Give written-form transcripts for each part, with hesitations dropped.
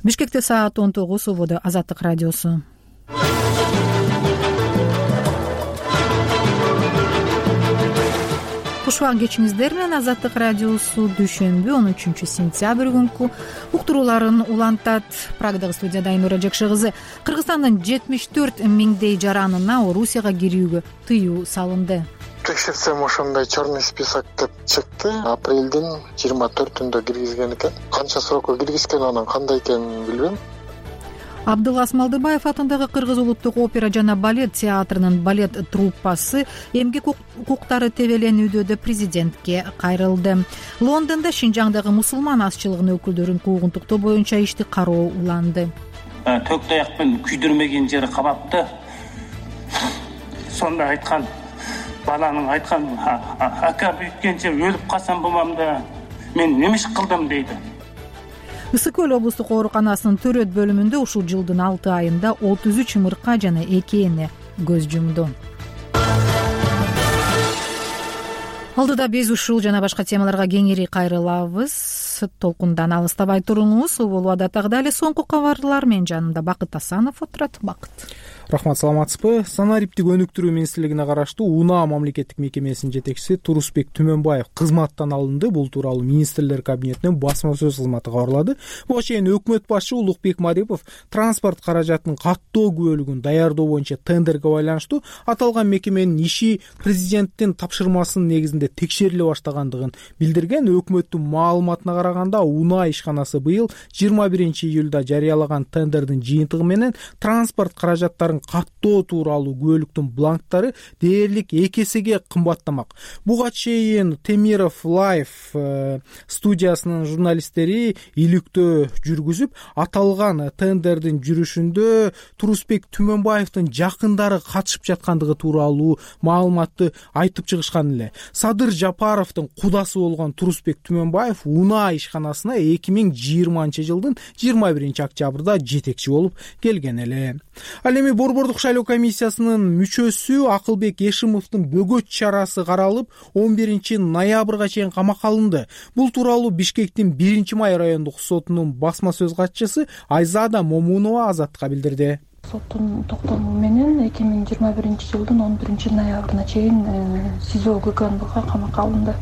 Бишкекте саат 19, убада Азаттык радиосу. Кушубак кечиңиздер менен Азаттык радиосу дүйшөмбү 13 сентябрь күнкү уктурууларын улантат. Прагдагы студияда Айнура Жакшы кызы. Кыргызстандын 74 миңдей жаранына Орусияга кирүүгө тыюу салынды. Текшерсем ошондой черный список деп чыкты. Апрелдин 24-түндө киргизген экен. Канча срокко киргизген, анан кандай экенин билбейм. Абдылас Малдыбаев атындагы Кыргыз улуттук опера жана балет театрынын балет труппасы эмгек укуктары тебеленүүдө президентке кайрылды. Лондондо Шинжаңдагы мусулман азчылыгынын өкүлдөрүн куугунтуктоо боюнча ишти кароо уланды. Төк таякпен күйдүрмеген жери кабапты. Сонда айткан баланын айткан ака бүйткенче өлүп калсам болмам да мен неме иш кылдым дейди. Ысык Көл облустук ооруканасынын төрөт бөлүмүндө ушул жылдын 6 айында 33 ымырка жана 2 эне көз жумду. Алдыда биз ушул жана башка темаларга кеңири кайрылабыз. Толкундан алыстабай туруңуз. Улуу адаттагыдай эле соңку кабарлар менен жанымда Бакыт Асанов отурат. Бакыт. Рахмат, саламатсызбы? Санариптик өнүктүрүү министрлигине караштуу УНА мамлекеттик мекемесинин жетекчиси Турусбек Түмөнбаев кызматтан алынды. Бул тууралуу министрлер кабинетинин басма сөз кызматы кабарлады. Буга чейин өкмөт башчы Улукбек Марипов транспорт каражатынын каттоо күбөлүгүн даярдоо боюнча тендерге байланыштуу аталган мекеменин иши президенттин тапшырмасынын негизинде текшериле баштагандыгын билдирген. Өкмөттүн маалыматына караганда УНА ишканасы быйыл 21-июлда жарыялаган тендердин жыйынтыгы менен транспорт каражаттарын каттоо тууралуу күбөлүктүн бланктары дээрлик 2 эсеге кымбаттамак. Буга чейин Темиров Лайф студиясынын журналисттери иликтөө жүргүзүп, аталган тендердин жүрүшүндө Турусбек Түмөнбаевдин жакындары катышып жаткандыгы тууралуу маалыматты айтып чыгышкан эле. Садыр Жапаровдун кудасы болгон Турусбек Түмөнбаев УНА ишканасына 2020-жылдын 21-октябрда жетекчи болуп келген эле. Ал эми Борбордук шайлоо комиссиясынын мүчөсү Акылбек Эшимовдун бөгөт чарасы каралып, 11-ноябрга чейин камакка алынды. Бул тууралуу Бишкектин 1-май райондук сотунун басма сөз катчысы Айзада Момунова Азаттыкка билдирди. Соттун токтому менен 2021-жылдын 11-ноябрына чейин СИЗО ГКНБга камакка алынды.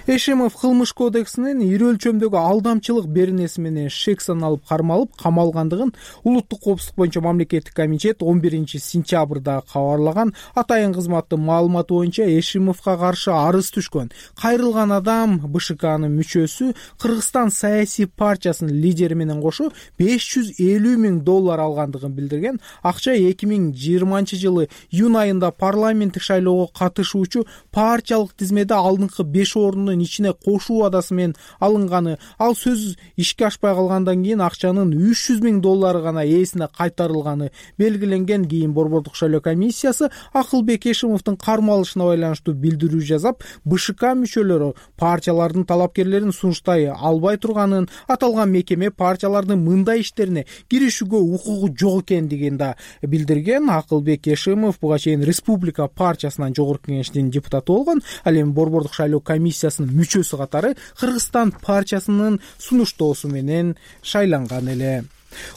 Эшимов кылмыш кодексинин ири өлчөмдөгү алдамчылык беренеси менен шек саналып кармалып камалгандыгын улуттук коопсуздук боюнча мамлекеттик комитет 11-сентябрда кабарлаган. Атайын кызматтын маалыматы боюнча Эшимовго каршы арыз түшкөн. Кайрылган адам БШКнын мүчөсү Кыргызстан саясий партиясынын лидери менен кошо $550 000 алгандыгын билдирген. Акча 2020-жылы июнь айында парламенттик шайлоого катышуучу партиялык тизмеде алдыңкы 5 ордунун ичине кошуу адасы менен алынганы. Ал сөз ишке ашпай калгандан кийин акчанын $300 000 гана ээсине кайтарылганы белгиленген. Кийин Борбордук шайлоо комиссиясы Акылбек Эшимовдун кармалышына байланыштуу билдирүү жазап, БШК мүчөлөрү партиялардын талапкерлерин сунуштай албай турганын, аталган мекеме партиялардын мындай иштерине киришүүгө укугу жок экендигин да билдирген. Акылбек Эшимов буга чейин Республика партиясынан жогорку кеңештин депутаты болгон. Ал эми Борбордук шайлоо комиссиясынын мүчөсү катары Кыргызстан партиясынын сунуштоосу менен шайланган эле.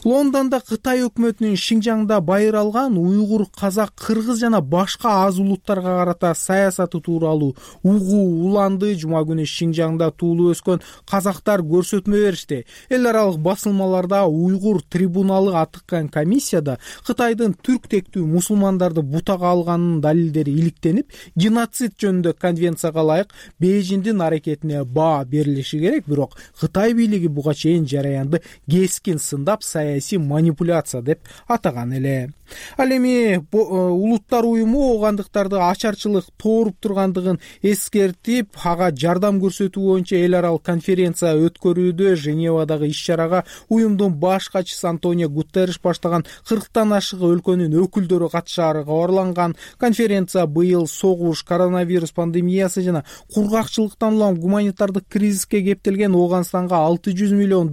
Лондондо Кытай өкмөтүнүн Шинжаңда байыралган уйгур, казак, кыргыз жана башка аз улуттарга карата саясаты тууралуу угуу уланды. Жума күнү Шинжаңда туулуп өскөн казактар көрсөтмө беришти. Эл аралык басылмаларда уйгур трибуналы атыккан комиссияда Кытайдын түрк тектүү мусулмандарды бутага алганынын далилдери иликтенип, геноцид жөнүндө конвенцияга ылайык Бейжиңдин аракетине баа берилиши керек. Бирок Кытай бийлиги буга чейин жараянды кескин сындап, саясий манипуляция деп атаган эле. Ал эми улуттар уюму оогандыктарды ачарчылык тооруп тургандыгын эскертип, ага жардам көрсөтүү боюнча эл аралык конференция өткөрүүдө. Женевадагы иш-чарага уюмдун баш катчысы Антонио Гутерриш баштаган 40тан ашык өлкөнүн өкүлдөрү катышары кабарланган. Конференция быйыл согуш, коронавирус пандемиясы жана кургакчылыктан улам гуманитардык кризиске кептелген Ооганстанга $600 миллион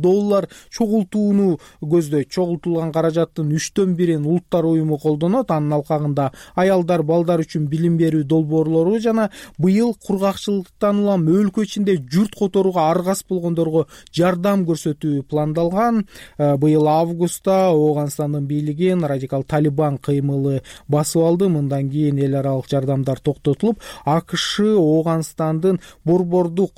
чогултууну көздөйт. Чогултулган каражаттын 1/3 улуттар уюму колдонот. Анын алкагында аялдар, балдар үчүн билим берүү долбоорлору жана быйыл кургакчылыктан улам өлкө ичинде журт которууга аргас болгондорго жардам көрсөтүү пландалган. Быйыл августта Ооганстандын бийлигин радикал Талибан кыймылы басып алды. Мындан кийин эл аралык жардамдар токтотулуп, АКШ Ооганстандын борбордук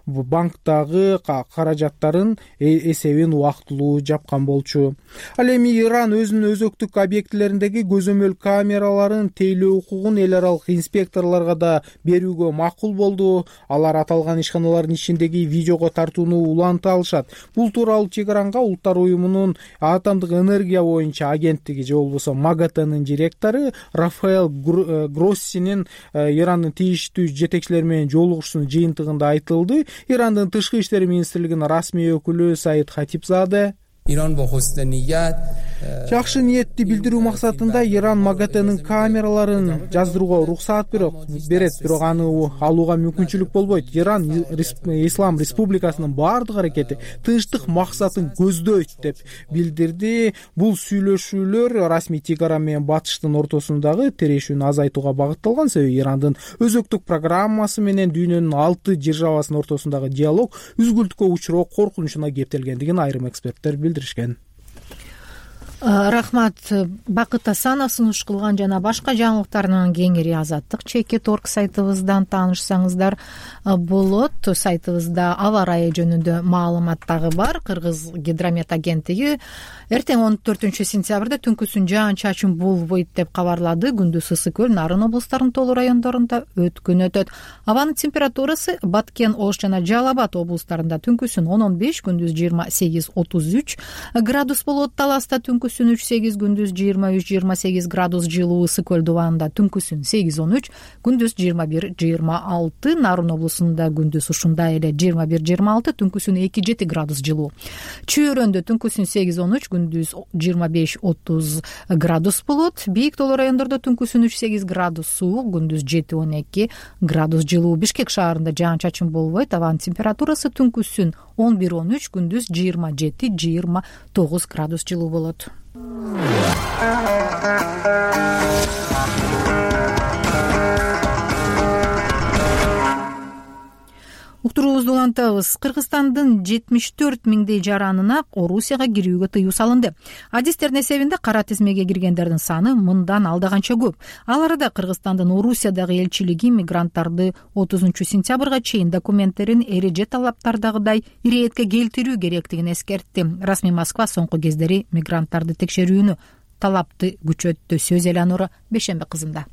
банктагы каражаттарын эсебин убактылуу жапкан болчу. Ал эми Иран өзүнүн өзөктүк объектилериндеги көзөмөл камераларын тейлөө укугун эл аралык инспекторлорго да берүүгө макул болду. Алар аталган ишканалардын ичиндеги видеого тартууну уланта алышат. Бул тууралуу Тегеранга Улуттар уюмунун атомдук энергия боюнча агенттиги же болбосо МАГАТЭнин директору Рафаэл Гроссинин Ирандын тийиштүү жетекчилери менен жолугушуунун жыйынтыгында айтылды. Ирандын тышкы иштер министрлигинин расмий өкүлү Саид Хатибзаде жакшы ниетти билдирүү максатында Иран МАГАТЭнин камераларын жаздырууга уруксаат берет, бирок аны алууга мүмкүнчүлүк болбойт. Иран Ислам Республикасынын баардык аракети тынчтык максатын көздөйт деп билдирди. Бул сүйлөшүүлөр расмий Тегеран менен Батыштын ортосундагы тирешүүнү азайтууга багытталган. Себеби Ирандын өзөктүк программасы менен дүйнөнүн 6 державасынын ортосундагы диалог үзгүлтүккө учуроо коркунучуна кептелгендигин айрым эксперттер билдиришкен. Рахмат. Бакыт Асанов сунуш кылган жана башка жаңылыктардан кеңири Азаттык.org сайтыбыздан таанышсаңыздар болот. Сайтыбызда аба ырайы жөнүндө маалымат дагы бар. Кыргыз гидромет агенттиги эртең 14-сентябрда түнкүсүн жаан-чачын болбойт деп кабарлады. Күндүз ысык көл, Нарын облустарынын толуу райондорунда өткүн өтөт. Абанын температурасы Баткен, Ош жана Жалал Абад облустарында түнкүсүн 10-15, күндүз 28-33 градус болот. Таласта түнкүсүн 3-8, күндүз 23-28 градус жылуу. Ысык көл дубанында түнкүсүн 8-13, күндүз 21-26. Нарын облусунда күндүз ушундай эле 21-26, түнкүсүн 2-7 градус жылуу. Чүйөрөндө түнкүсүн 8-13, күндүз 25-30 градус болот. Бийик тоолуу райондордо түнкүсүн 3-8 градус суук, күндүз 7-12 градус жылуу. Бишкек шаарында жаан-чачын болбойт. Абанын температурасы түнкүсүн 11-13, күндүз 27-29 градус жылуу болот. Уктуруубузду улантабыз. Кыргызстандын 74 миңдей жаранына Орусияга кирүүгө тыюу салынды. Адистердин эсебинде кара тизмеге киргендердин саны мындан алдаганча көп. Ал арада Кыргызстандын Орусиядагы элчилиги мигранттарды 30-сентябрга чейин документтерин эреже талаптардагыдай иретке келтирүү керектигин эскертти. Расмий Москва соңку кездери мигранттарды текшерүүнү талапты күчөттү. Сөз Элеонора Бешембе кызында.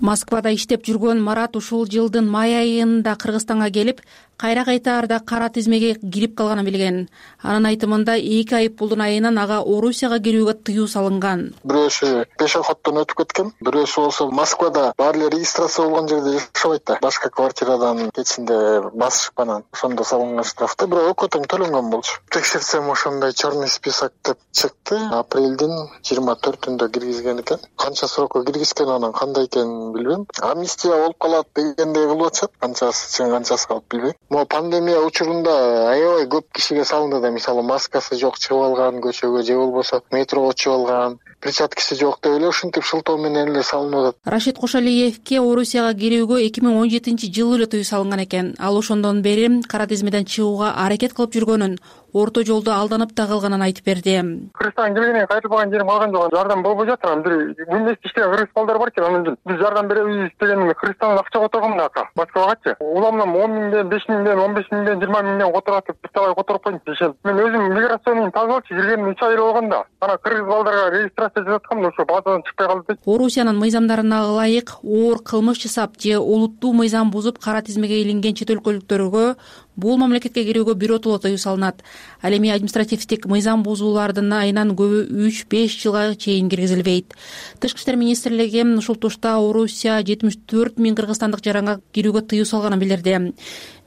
Москвада иштеп жүргөн Марат ушул жылдын май айында Кыргызстанга келип, кайра кайтаарда кара тизмеге кирип калганын билген. Анын айтымында 2 айыппулдун айынан ага Орусияга кирүүгө тыюу салынган. Бирөөсү пешоходдон өтүп кеткен, бирөөсү болсо Москвада баары эле регистрация болгон жерде жашабайт да. Башка квартирадан кечинде басышып анан ошондо салынган штрафты, бирок экөө тең төлөнгөн болчу. Текшерсем ошондой черный список деп чыкты. Апрелдин 24-түндө киргизген экен. Канча срокко киргизген, анан кандай экенин билбейм. Амнистия болуп калат дегендей кылып атышат. Канчасы чын, канчасы калып билбейм. Могу пандемия учурунда аябай көп кишиге салынды да. Мисалы маскасы жок чыгып алган көчөгө, же болбосо метрого чыгып алган, перчаткасы жок деп эле ушинтип шылтоо менен эле салынып атат. Рашид Кошалиевке Орусияга кирүүгө 2017-жылы эле тыюу салынган экен. Ал ошондон бери кара тизмеден чыгууга аракет кылып жүргөнүн, орто жолдо алданып да калганын айтып берди. Кыргызстан келгенен кайтылбаган жерим калган жок. Жардам болбой жатыр. Бир күндүз иштеген кыргыз балдар бар экен. Анан биз жардам беребиз дегенде Кыргызстандан акча которгон ака. Москвагачы. Уламдан 10 миңден, 5 миңден, 15 миңден, 20 миңден которотуп, бирталай которуп койдум дешем. Мен өзүм миграцияны тазалачы киргениме 3 ай болгон да. Анан кыргыз балдарга регистрация жасаткам, ошо базадан чыкпай калды. Орусиянын мыйзамдарына ылайык оор кылмыш жасап же улуттуу мыйзам бузуп кара тизмеге илинген чет өлкөлүктөргө бул мамлекетке кирүүгө биротоло тыюу салынат. Ал эми административдик мыйзам бузуулардын айынан көбү 3-5 жылга чейин киргизилбейт. Тышкы иштер министрлиги ушул тушта Орусия 74 миң кыргызстандык жаранга кирүүгө тыюу салганын билдирди.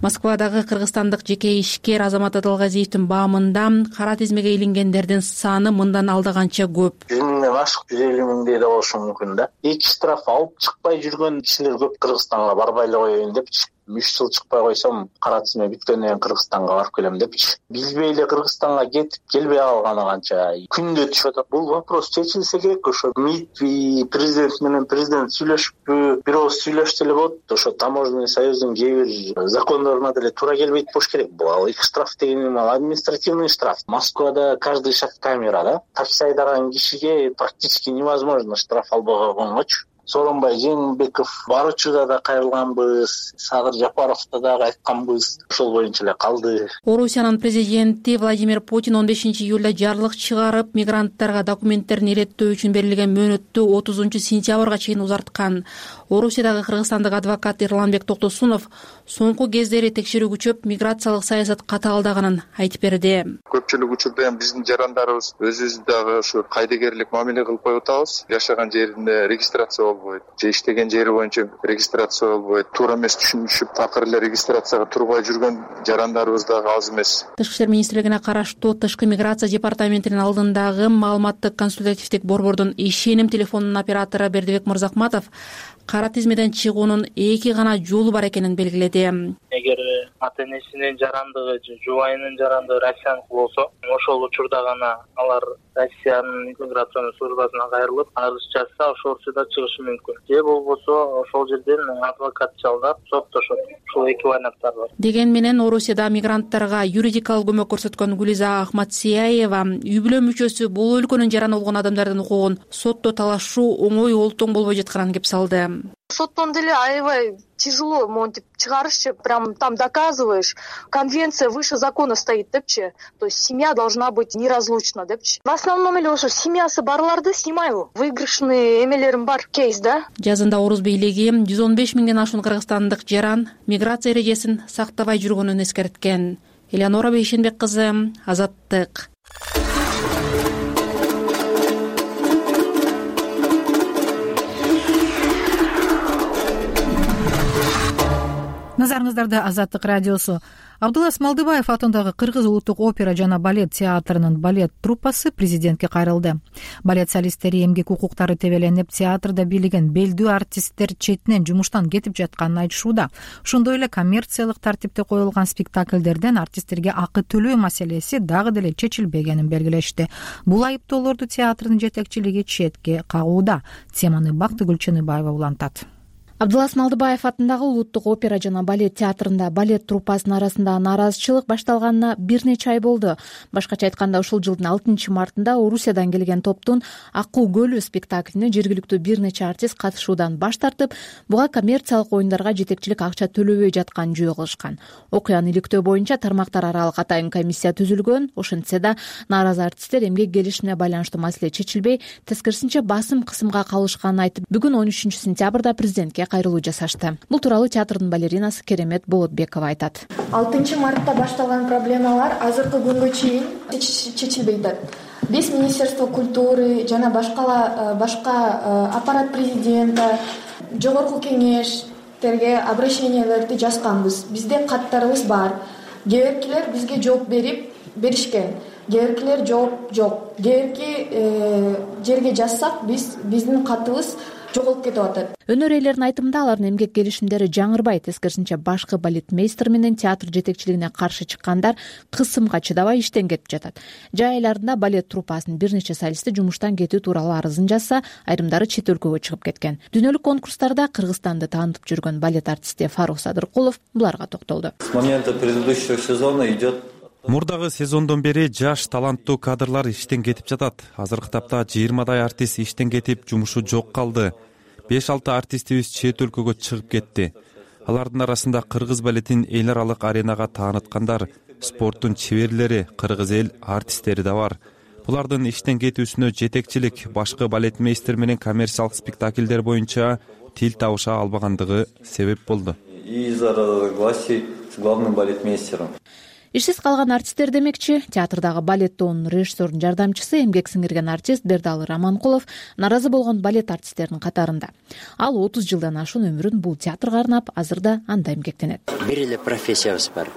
Москвадагы кыргызстандык жеке ишкер Азамат Адалгазиевдин баамында кара тизмеге илингендердин саны мындан алдаганча көп. 100 миңден ашык, 150 миңдей да болушу мүмкүн да. Эки штраф алып чыкпай жүргөн кишилер көп, Кыргызстанга барбай эле коеюн деп 3 жыл чыкпай койсом кара тизме бүткөндөн кийин Кыргызстанга барып келем депчи. Билбей эле Кыргызстанга кетип келбей калганы канча күндө түшүп атат. Бул вопрос чечилсе керек. Ошо МИД президент менен президент сүйлөшүппү, бир ооз сүйлөшсө эле болот. Ошо таможенный союздун кээ бир закондоруна деле туура келбейт болуш керек. Бул ал эки штраф деген ал административный штраф. Москвада каждый шаг камера, да. Такси айдаган кишиге практически невозможно штраф албай койгонгочу. Сооронбай Жээнбеков бар учурда да кайрылганбыз, Садыр Жапаровда дагы айтканбыз, ошол боюнча эле калды. Орусиянын президенти Владимир Путин 15-июлда жарлык чыгарып, мигранттарга документтерин иреттөө үчүн берилген мөөнөттү 30-сентябрга чейин узарткан. Орусиядагы кыргызстандык адвокат Эрланбек Токтосунов соңку кездери текшерүү күчөп, миграциялык саясат катаалдаганын айтып берди. Көпчүлүк учурда биздин жарандарыбыз өзүбүз дагы ушу кайдыгерлик мамиле кылып коюп атабыз. Жашаган жеринде регистрация болбойт, же иштеген жери боюнча регистрация болбойт. Туура эмес түшүнүшүп, такыр эле регистрацияга турбай жүргөн жарандарыбыз дагы аз эмес. Тышкы иштер министрлигине караштуу Тышкы миграция департаментинин алдындагы маалыматтык консультативдик борбордун ишеним телефонунун оператору Бердибек Мырзакматов кара тизмеден чыгуунун эки гана жолу бар экенин белгиледи. Эгер ата-энесинин жарандыгы же жубайынын жарандыгы Россияныкы болсо, ошол учурда гана алар Россиянын иммиграционный службасына кайрылып, арыз жазса, ошол учурда чыгышы мүмкүн. Же болбосо ошол жерден адвокат жалдап соттошот. Ушул эки варианттар бар. Деген менен Орусияда мигранттарга юридикалык көмөк көрсөткөн Гулиза Ахматсияева үй бүлө мүчөсү бул өлкөнүн жараны болгон адамдардын укугун сотто талашуу оңой олтоң болбой жатканын кеп салды. Соттон деле аябай тяжело монтип чыгарышчы, прям там доказываешь, конвенция выше закона стоит депчи, то есть семья должна быть неразлучна депчи. В основном эле ошо семьясы барларды снимаю. Выигрышный эмелерим бар, кейс, да. Жазында Орус бийлиги 115 миңден ашуун кыргызстандык жаран миграция эрежесин сактабай жүргөнүн эскерткен. Элеонора Бейшенбек кызы, Азаттык. Назарыңыздарда Азаттык радиосу. Абдулла Смалдыбаев атындагы Кыргыз улуттук опера жана балет театрынын балет труппасы президентке кайрылды. Балет солисттери эмгек укуктары тебеленип, театрда бийлеген белдүү артисттер четинен жумуштан кетип жатканын айтышууда. Ошондой эле коммерциялык тартипте коюлган спектакльдерден артисттерге акы төлөө маселеси дагы деле чечилбегенин белгилешти. Бул айыптоолорду театрдын жетекчилиги четке кагууда. Теманы Бактыгүл Чыныбаева улантат. Абдулла Смалдыбаев атындагы улуттук опера жана балет театрында балет труппасынын арасында нааразычылык башталганына бир нече ай болду. Башкача айтканда, ушул жылдын 6-мартында Орусиядан келген топтун Акуу көлү спектаклине жергиликтүү бир нече артист катышуудан баш тартып, буга коммерциялык оюндарга жетекчилик акча төлөбөй жатканын жөө кылышкан. Окуяны иликтөө боюнча тармактар аралык атайын комиссия түзүлгөн. Ошентсе да нааразы артисттер эмгек келишине байланыштуу маселе чечилбей, тескерисинче басым кысымга калышканын айтып, бүгүн 13-сентябрда президентке кайрылуу жасашты. Бул тууралуу театрдын балеринасы Керемет Болотбекова айтат. 6-мартта башталган проблемалар азыркы күнгө чейин чечилбей жатат. Биз Министерство культуры жана башка аппарат президента, жогорку кеңештерге обращенияларды жазганбыз. Бизде каттарыбыз бар. Кээ биркилер бизге жооп беришкен. Кээ биркилер жооп жок. Кээ бирки жерге жазсак, биздин катыбыз жоголуп кетип атат. Өнөр ээлеринин айтымында, алардын эмгек келишимдери жаңырбай, тескерисинче башкы балетмейстер менен театр жетекчилигине каршы чыккандар кысымга чыдабай иштен кетип жатат. Жай айларында балет труппасынын бир нече солисти жумуштан кетүү тууралуу арызын жазса, айрымдары чет өлкөгө чыгып кеткен. Дүйнөлүк конкурстарда Кыргызстанды таанытып жүргөн балет артисти Фарух Садыркулов буларга токтолду. С момента предыдущего сезона идет. Мурдагы сезондон бери жаш таланттуу кадрлар иштен кетип жатат. Азыркы тапта 20дай артист иштен кетип, жумушу жок калды. 5-6 артистибиз чет өлкөгө чыгып кетти. Алардын арасында кыргыз балетин эл аралык аренага тааныткандар, спорттун чеберлери, кыргыз эл артисттери да бар. Булардын иштен кетүүсүнө жетекчилик башкы балетмейстер менен коммерциялык спектакльдер боюнча тил табыша албагандыгы себеп болду. Из-за разногласий с главным балетмейстером. Ишсиз калган артисттер демекчи, театрдагы балет тобунун режиссердун жардамчысы, эмгек сиңирген артист Бердалы Раманкулов наразы болгон балет артисттеринин катарында. Ал 30 жылдан ашуун өмүрүн бул театрга арнап, азырда анда эмгектенет. Бир эле профессиябыз бар.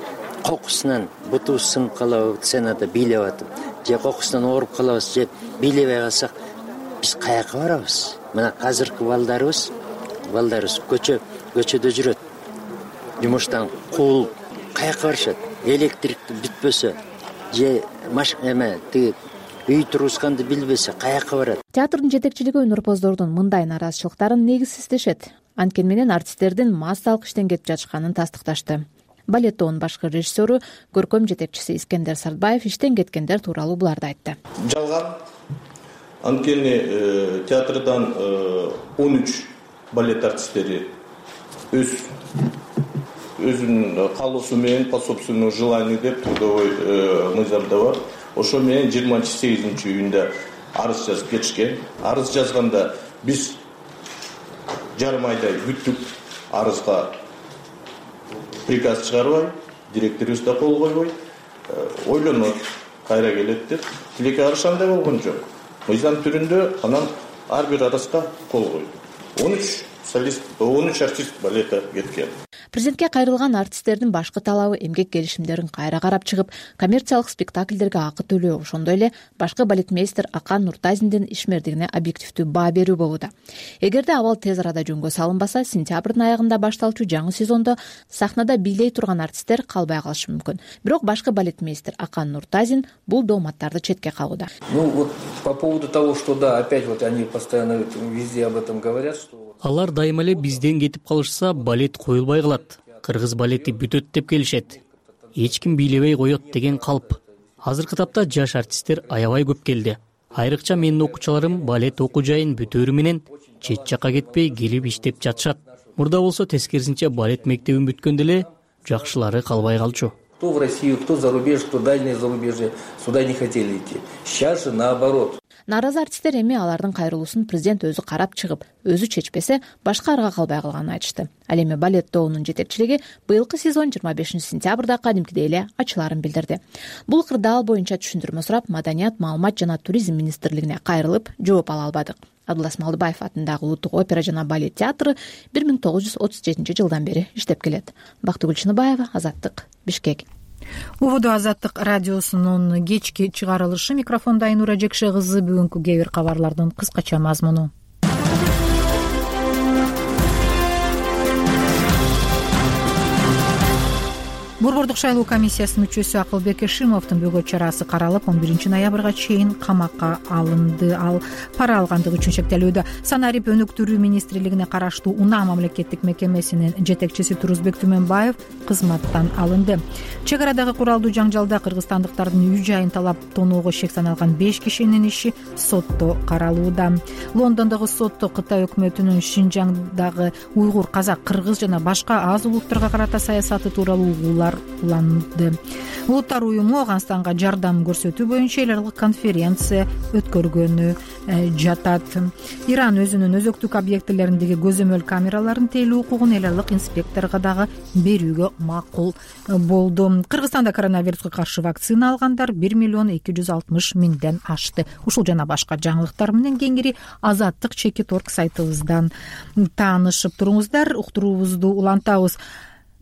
Кокусунан бутубуз сынып калабы, сценада бийлеп атып, же кокусунан ооруп калабыз, же бийлебей калсак, биз каяка барабыз? Мына азыркы балдарыбыз көчөдө жүрөт. жумуштан кул каяка барышат? Электрик бүтпөсө же тиги үй тургузганды билбесе каяка барат? Театрдын жетекчилиги өнөрпоздордун мындай нааразычылыктарын негизсиз дешет. Анткени менен артисттердин массалык иштен кетип жатышканын тастыкташты. Балет тобунун башкы режиссеру, көркөм жетекчиси Искендер Сартбаев иштен кеткендер тууралуу буларды айтты. Жалган. Анткени театрдан 13 балет артисттери өзүнүн каалоосу менен по собственному желанию деп трудовой мыйзамда бар. Ошо менен 28-июнда арыз жазып кетишкен. Арыз жазганда биз жарым айдай күттүк. Арызга приказ чыгарбай, директорубуз да кол койбой, ойлонот, кайра келет деп. Тилекке каршы андай болгон жок. Мыйзам түрүндө анан ар бир арызга кол койду. 13 артист балетке кеткен. Президентке кайрылган артисттердин башкы талабы эмгек келишимдерин кайра карап чыгып, коммерциялык спектакльдерге акы төлөө, ошондой эле башкы балетмейстер Акан Нуртазиндин ишмердигине объективдүү баа берүү болууда. Эгерде абал тез арада жөнгө салынбаса, сентябрдын аягында башталчу жаңы сезондо сахнада бийлей турган артисттер калбай калышы мүмкүн. Бирок башкы балетмейстер Акан Нуртазин бул дооматтарды четке кагууда. По поводу того, что да, опять они постоянно везде об этом говорят, что алар дайыма эле бизден кетип калышса, балет коюлбай калат. Кыргыз балети бүтөт деп келишет. Эч ким бийлебей коет деген калп. Азыркы тапта жаш артисттер аябай көп келди. Айрыкча менин окуучуларым балет окуу жайын бүтөөрү менен чет жакка кетпей келип иштеп жатышат. Мурда болсо тескерисинче балет мектебин бүткөндө эле жакшылары калбай калчу. Кто в Россию, кто за рубеж, кто дальнее зарубежье, сюда не хотели идти. Сейчас же наоборот. Нааразы артисттер эми алардын кайрылуусун президент өзү карап чыгып, өзү чечпесе, башка арга калбай калганын айтышты. Ал эми балет тобунун жетекчилиги быйылкы сезон 25-сентябрда кадимкидей эле ачыларын билдирди. Бул кырдаал боюнча түшүндүрмө сурап, Маданият, маалымат жана туризм министрлигине кайрылып, жооп ала албадык. Абдулас Малдыбаев атындагы Улуттук опера жана балет театры 1937-жылдан бери иштеп келет. Бактыгүл Чыныбаева, Азаттык, Бишкек. Убуду Азаттык радиосунун кечки чыгарылышы. Микрофонда Айнура Жекше кызы. Бүгүнкү кээ бир кабарлардын кыскача мазмуну. Борбордук шайлоо комиссиясынын мүчөсү Акылбек Эшимовдун бөгөт чарасы каралып, 11-ноябрга чейин камакка алынды. Ал пара алгандыгы үчүн шектелүүдө. Санарип өнүктүрүү министрлигине караштуу Унаа мамлекеттик мекемесинин жетекчиси Турузбек Түмөнбаев кызматтан алынды. Чек арадагы куралдуу жаңжалда кыргызстандыктардын үй жайын талап тоноого шек саналган 5 кишинин иши сотто каралууда. Лондондогу сотто Кытай өкмөтүнүн Шинжаңдагы уйгур, казак, кыргыз жана башка аз улуттарга карата саясаты тууралуу угуулар уланды. Улуттар уюму Афганстанга жардам көрсөтүү боюнча эл аралык конференция өткөргөнү жатат. Иран өзүнүн өзөктүк объектилериндеги көзөмөл камераларын тейлөө укугун эл аралык инспекторго дагы берүүгө макул болду. Кыргызстанда коронавируска каршы вакцина алгандар 1,260,000 ашты. Ушул жана башка жаңылыктар менен кеңири Азаттык Чекит.орг сайтыбыздан таанышып туруңуздар. Уктуруубузду улантабыз.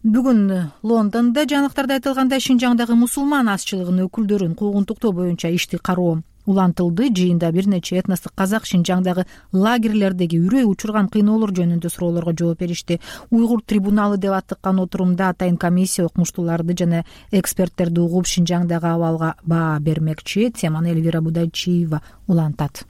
Бүгүн Лондондо жаңылыктарда айтылгандай Шинжаңдагы мусулман азчылыгынын өкүлдөрүн куугунтуктоо боюнча ишти кароо улантылды. Жыйында бир нече этностук казак Шинжаңдагы лагерлердеги үрөй учурган кыйноолор жөнүндө суроолорго жооп беришти. Уйгур трибуналы деп аттыккан отурумда атайын комиссия окумуштууларды жана эксперттерди угуп Шинжаңдагы абалга баа бермекчи. Теманы Эльвира Будайчиева улантат.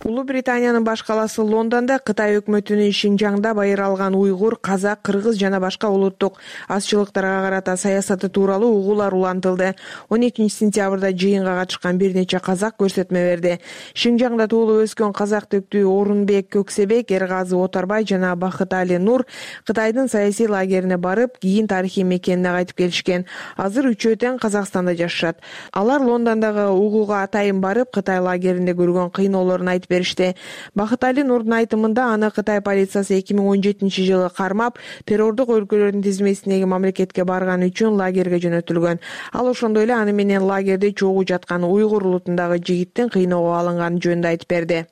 Улуу Британиянын баш калаасы Лондондо Кытай өкмөтүнүн Шинжаңда байыр алган уйгур, казак, кыргыз жана башка улуттук азчылыктарга карата саясаты тууралуу угуулар улантылды. 12-сентябрда жыйынга катышкан бир нече казак көрсөтмө берди. Шинжаңда туулуп өскөн казак төктүү Орунбек Көксебек, Эргазы Отарбай жана Бакытали Нур Кытайдын саясий лагерине барып, кийин тарыхый мекенине кайтып келишкен. Азыр үчөө тең Казакстанда жашашат. Алар Лондондогу угууга атайын барып, Кытай лагеринде көргөн кыйноолорун айтып беришти. Бакытали Нурдун айтымында аны Кытай полициясы 2017-жылы кармап, террордук өлкөлөрдүн тизмесиндеги мамлекетке барган үчүн лагерге жөнөтүлгөн. Ал ошондой эле аны менен лагерде чогуу жаткан уйгур улутундагы жигиттин кыйноого алынганы жөнүндө айтып берди.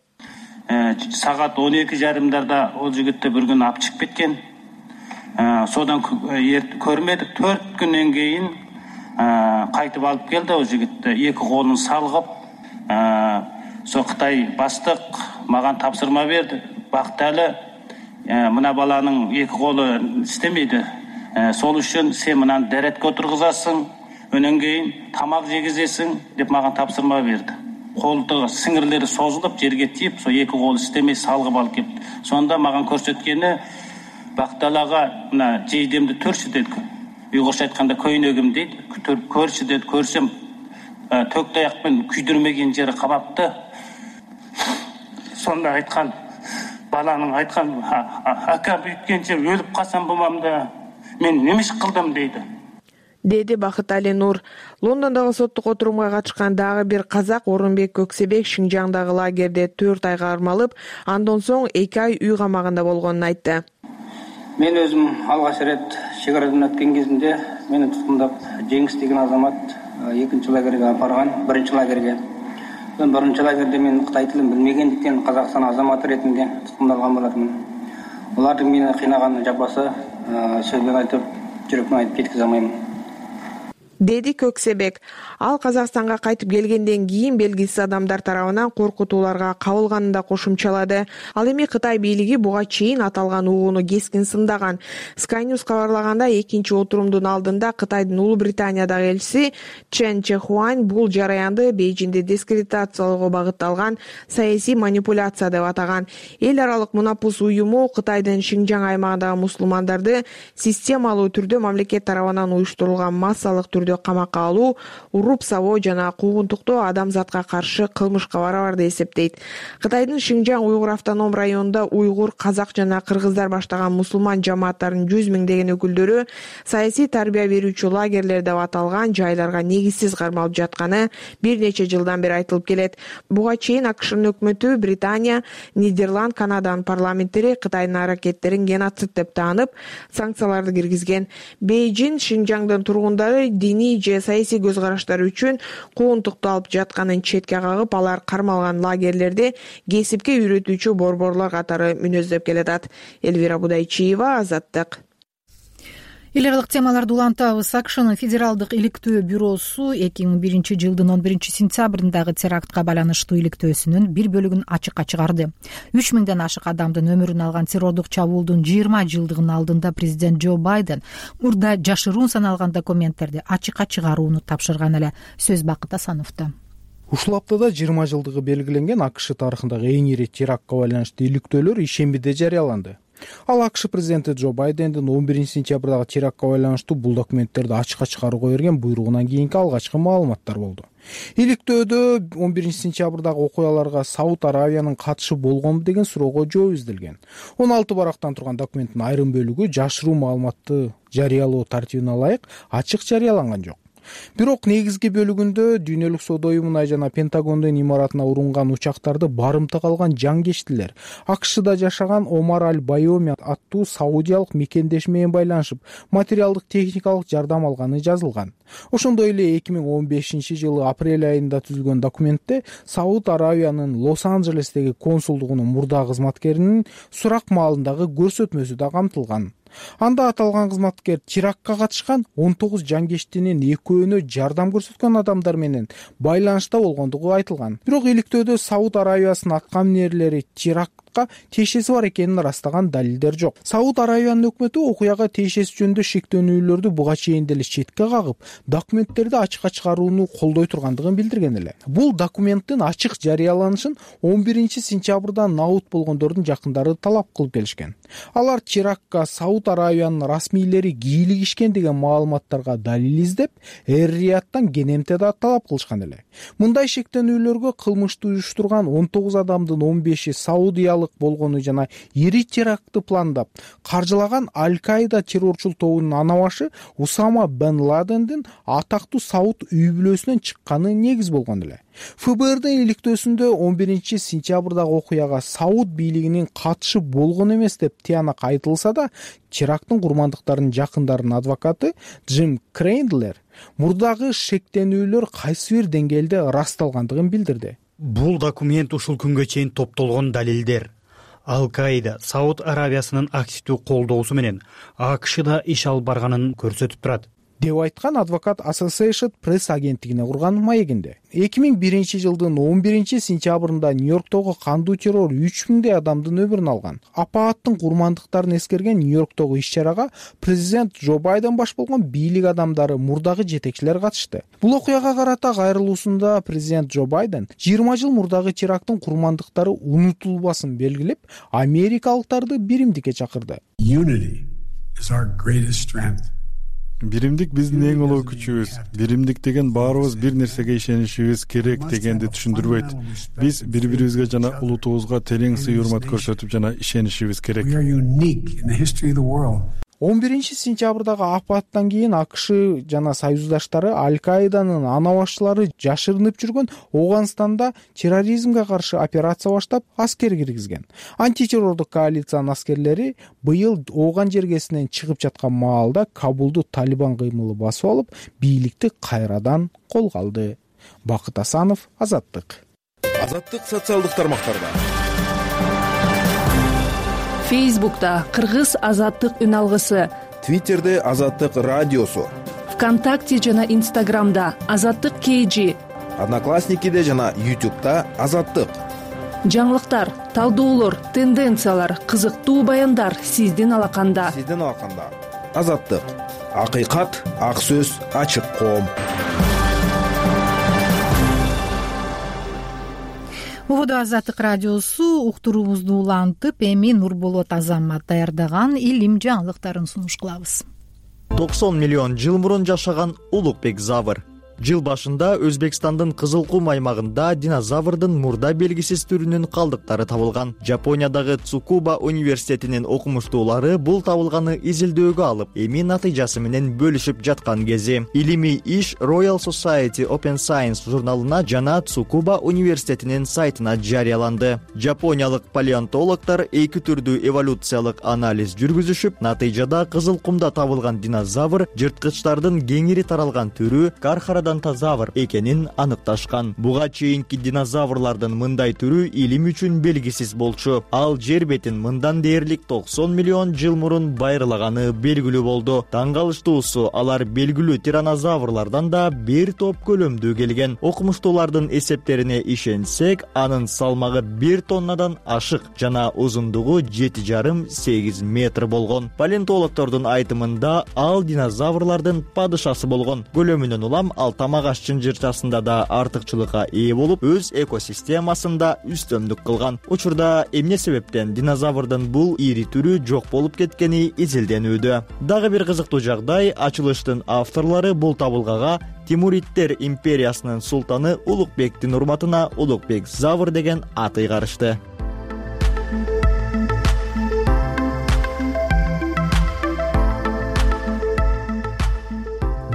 Сагат 12:30 ол жигитти бир күн алып чыгып кеткен. Содан көрмөдүк. 4 күндөн кийин кайтып алып келди ол жигитти. Эки колун салгып, со Кытай баштык мага тапсырма берди. Бакталы мына баланын эки колу иштемейди. Сол үчүн сен мынаны деретке отургузасың, өнөн кийин тамак жегизесиң деп мага тапсырма берди. Колдогу сиңирлери созулуп жерге тийип, сол эки кол иштемей салгып алып келди. Сонда мага көрсөткени бакталага мына жейдемди төрчү дейт. Уйгурча айтканда көйнөгүм дейт. Көрчү дейт, көрсөм төк таякпен күйдүрмеген жери кабапты. Сонда айткан баланын айткан ака бүйткенче өлүп калсам болмам да мен неме иш кылдым дейди, деди Бакытали Нур. Лондондогу соттук отурумга катышкан дагы бир казак Орунбек Көксебек Шинжаңдагы лагерде 4 айга кармалып, андан соң 2 ай үй камагында болгонун айтты. Мен өзүм алгач ирет чек арадан өткөн кезинде мени туткундап Жеңис деген азамат экинчи лагерге апарган, биринчи лагерге. Биринчи лагерде мен Кытай тилин билмегендиктен Казакстан азаматы ретинде туткундалган болотмун. Алардын мени кыйнаган жапасы сөзбен айтып, жүрөкмөн айтып жеткизе алмайм, деди Көксебек. Ал Казакстанга кайтып келгенден кийин белгисиз адамдар тарабынан коркутууларга кабылганын да кошумчалады. Ал эми Кытай бийлиги буга чейин аталган угууну кескин сындаган. Sky News кабарлаганда, экинчи отурумдун алдында Кытайдын Улуу Британиядагы элчиси Чен Чехуань бул жараянды Бейжиңди дискредитациялоого багытталган саясий манипуляция деп атаган. Эл аралык Мунапус уюму Кытайдын Шинжаң аймагындагы мусулмандарды системалуу түрдө мамлекет тарабынан уюштурулган массалык түрдө камакка алуу, уруп сабоо жана куугунтуктоо адамзатка каршы кылмышка барабар деп эсептейт. Кытайдын Шинжаң уйгур автоном районунда уйгур, казак жана кыргыздар баштаган мусулман жамааттарынын 100 миңдеген өкүлдөрү саясий тарбия берүүчү лагерлер деп аталган жайларга негизсиз кармалып жатканы бир нече жылдан бери айтылып келет. Буга чейин АКШнын өкмөтү Британия, Нидерланд, Канаданын парламенттери Кытайдын аракеттерин геноцид деп таанып, санкцияларды киргизген. Бейжиң Шинжаңдын тургундары диний же саясий көз караштары үчүн куугунтукту алып жатканын четке кагып, алар кармалган лагерлерди кесипке үйрөтүүчү борборлор катары мүнөздөп келатат. Элвира Будайчиева, Азаттык. Эл аралык темаларды улантабыз. АКШнын Федералдык иликтөө бюросу 2001-жылдын 11-сентябрындагы терактка байланыштуу иликтөөсүнүн бир бөлүгүн ачыкка чыгарды. 3000ден ашык адамдын өмүрүн алган террордук чабуулдун 20 жылдыгынын алдында президент Джо Байден мурда жашыруун саналган документтерди ачыкка чыгарууну тапшырган эле. Сөз Бакыт Асановдо. Ушул аптада 20 жылдыгы белгиленген АКШ тарыхындагы эң ири терактка байланыштуу иликтөөлөр ишембиде жарыяланды. Ал АКШ президенти Джо Байдендин 11-сентябрдагы терактка байланыштуу бул документтерди ачыкка чыгарууга берген буйругунан кийинки алгачкы маалыматтар болду. Иликтөөдө 11-сентябрдагы окуяларга Сауд Аравиянын катышы болгонбу деген суроого жооп изделген. 16 барактан турган документтин айрым бөлүгү жашыруу маалыматты жарыялоо тартибине ылайык ачык жарыяланган жок. Бирок негизги бөлүгүндө Дүйнөлүк соода уюмуна жана Пентагондун имаратына урунган учактарды барымтага алган жангечтилер АКШда жашаган Омар Аль-Байоми аттуу саудиялык мекендеш менен байланышып, материалдык техникалык жардам алганы жазылган. Ошондой эле 2015-жылы апрель айында түзүлгөн документте Сауд Аравиянын Лос-Анджелестеги консулдугунун мурда кызматкеринин сурак маалындагы көрсөтмөсү да камтылган. Анда аталган кызматкер терактка катышкан 19 жангештинин экөөнө жардам көрсөткөн адамдар менен байланышта болгондугу айтылган. Бирок иликтөөдө Сауд Аравиясынын аткаминерлери терактка тиешеси бар экенин ырастаган далилдер жок. Сауд Аравиянын өкмөтү окуяга тиешеси жөнүндө шектөөнүүлөрдү буга чейин деле четке кагып, документтерди ачыкка чыгарууну колдой тургандыгын билдирген эле. Бул документтин ачык жарыяланышын 11-сентябрда наут болгондордун жакындары талап кылып келишкен. Алар терактка Сауд Аравиянын расмийлери кийлигишкен деген маалыматтарга далил издеп, Эр-Рияттан кенемте да талап кылышкан эле. Мындай шектөөнүүлөргө кылмышты уюштурган 19 адамдын 15-и саудиялык болгону жана ири терактты пландап, каржылаган Аль-Каида террорчул тобунун ана башы Усама бен Ладендин атактуу Сауд үй бүлөсүнөн чыкканы негиз болгон эле. ФБРдын иликтөөсүндө 11-сентябрдагы окуяга Сауд бийлигинин катышы болгон эмес деп тыянак айтылса да, теракттын курмандыктарынын жакындарынын адвокаты Джим Крейндлер мурдагы шектенүүлөр кайсы бир деңгээлде ырасталгандыгын билдирди. Бул документ ушул күнгө чейин топтолгон далилдер. Аль-Каида Сауд Аравиясынын активдүү колдоосу менен АКШда иш алып барганын көрсөтүп турат. деп айткан адвокат Associated Press агенттигине курган маегинде. 2001-жылдын 11-сентябрында Нью-Йорктогу кандуу террор 3000 адамдын өмүрүн алган. Апааттын курмандыктарын эскерген Нью-Йорктогу иш-чарага президент Джо Байден баш болгон бийлик адамдары, мурдагы жетекчилер катышты. Бул окуяга карата кайрылуусунда президент Джо Байден 20 жыл мурдагы теракттын курмандыктары унутулбасын белгилеп, америкалыктарды биримдикке чакырды. Биримдик биздин эң улуу күчүбүз. Биримдик деген баарыбыз бир нерсеге ишенишибиз керек дегенди түшүндүрбөйт. Биз бири-бирибизге жана улутубузга терең сый-урмат көрсөтүп жана ишенишибиз керек. 11-сентябрдагы апаттан кийин АКШ жана союздаштары Аль-Каиданын анабашчылары жашырынып жүргөн Ооганстанда терроризмге каршы операция баштап, аскер киргизген. Антитеррордук коалициянын аскерлери быйыл Ооган жергесинен чыгып жаткан маалда Кабулду Талибан кыймылы басып алып, бийликти кайрадан колго алды. Бакыт Асанов, Азаттык. Азаттык социалдык тармактарда. Фейсбукта Кыргыз Азаттык үн алгысы, Твиттерде Азаттык радиосу, ВКонтакте жана Инстаграмда Азаттык KG, Одноклассникиде жана YouTube'да Азаттык. Жаңылыктар, талдоолор, тенденциялар, кызыктуу баяндар сиздин алаканда. Азаттык. Акыйкат, ак сөз, ачык коом. Убуду Азаттык радиосу уктуруубузду улантып, эми Нурболот Азамат даярдаган илим жаңылыктарын сунуш кылабыз. 90 миллион жыл мурун жашаган Улукбек Завр. Жыл башында Өзбекстандын Кызыл кум аймагында динозаврдын мурда белгисиз түрүнүн калдыктары табылган. Жапониядагы Цукуба университетинин окумуштуулары бул табылганы изилдөөгө алып, эми натыйжасы менен бөлүшүп жаткан кези. Илимий иш Royal Society Open Science журналына жана Цукуба университетинин сайтына жарыяланды. Жапониялык палеонтологдор эки түрдүү эволюциялык анализ жүргүзүшүп, натыйжада Кызыл кумда табылган динозавр жырткычтардын кеңири таралган түрү Кархарадонтозавр экенин аныкташкан. Буга чейинки динозаврлардын мындай түрү илим үчүн белгисиз болчу. Ал жер бетин мындан дээрлик 90 миллион жыл мурун байырлаганы белгилүү болду. Таң калыштуусу, алар белгилүү тиранозаврлардан да бир топ көлөмдүү келген. Окумуштуулардын эсептерине ишенсек, анын салмагы 1 тоннадан ашык жана узундугу 7,5-8 метр болгон. Палеонтологдордун айтымында ал динозаврлардын падышасы болгон. Көлөмүнөн улам ал тамак аш чынжырчасында да артыкчылыкка ээ болуп, өз экосистемасында үстөмдүк кылган. Учурда эмне себептен динозаврдын бул ири түрү жок болуп кеткени изилденүүдө. Дагы бир кызыктуу жагдай, ачылыштын авторлору бул табылгага Тимуриттер империясынын султаны Улукбектин урматына Улукбек Завр деген ат ыйгарышты.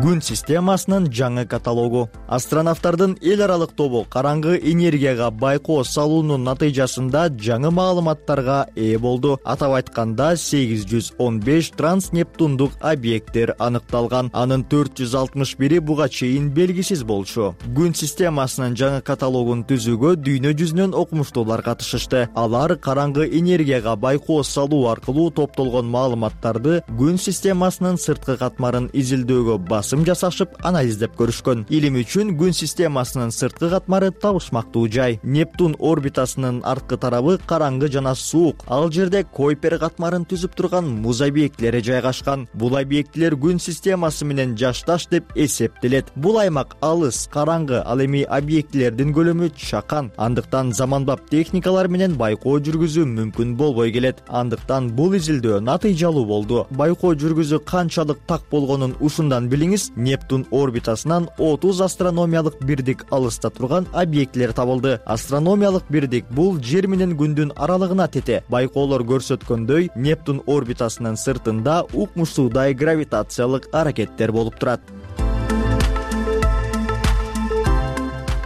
Күн системасынын жаңы каталогу. Астронавттардын эл аралык тобу караңгы энергияга байкоо салуунун натыйжасында жаңы маалыматтарга ээ болду. Атап айтканда 815 транснептундук объекттер аныкталган. Анын 461 буга чейин белгисиз болчу. Күн системасынын жаңы каталогун түзүүгө дүйнө жүзүнөн окумуштуулар катышышты. Алар караңгы энергияга байкоо салуу аркылуу топтолгон маалыматтарды күн системасынын сырткы катмарын изилдөөгө жасашып анализдеп көрүшкөн. Илим үчүн күн системасынын сырткы катмары табышмактуу жай. Нептун орбитасынын арткы тарабы караңгы жана суук. Ал жерде Койпер катмарын түзүп турган муз объектилери жайгашкан. Бул объектилер күн системасы менен жашташ деп эсептелет. Бул аймак алыс, караңгы, ал эми объектилердин көлөмү чакан. Андыктан заманбап техникалар менен байкоо жүргүзүү мүмкүн болбой келет. Андыктан бул изилдөө натыйжалуу болду. Байкоо жүргүзүү канчалык так болгонун ушундан билиңиз. Нептун орбитасынан 30 астрономиялык бирдик алыста турган объектилер табылды. Астрономиялык бирдик бул жер менен күндүн аралыгына тете. Байкоолор көрсөткөндөй, Нептун орбитасынын сыртында укмуштуудай гравитациялык аракеттер болуп турат.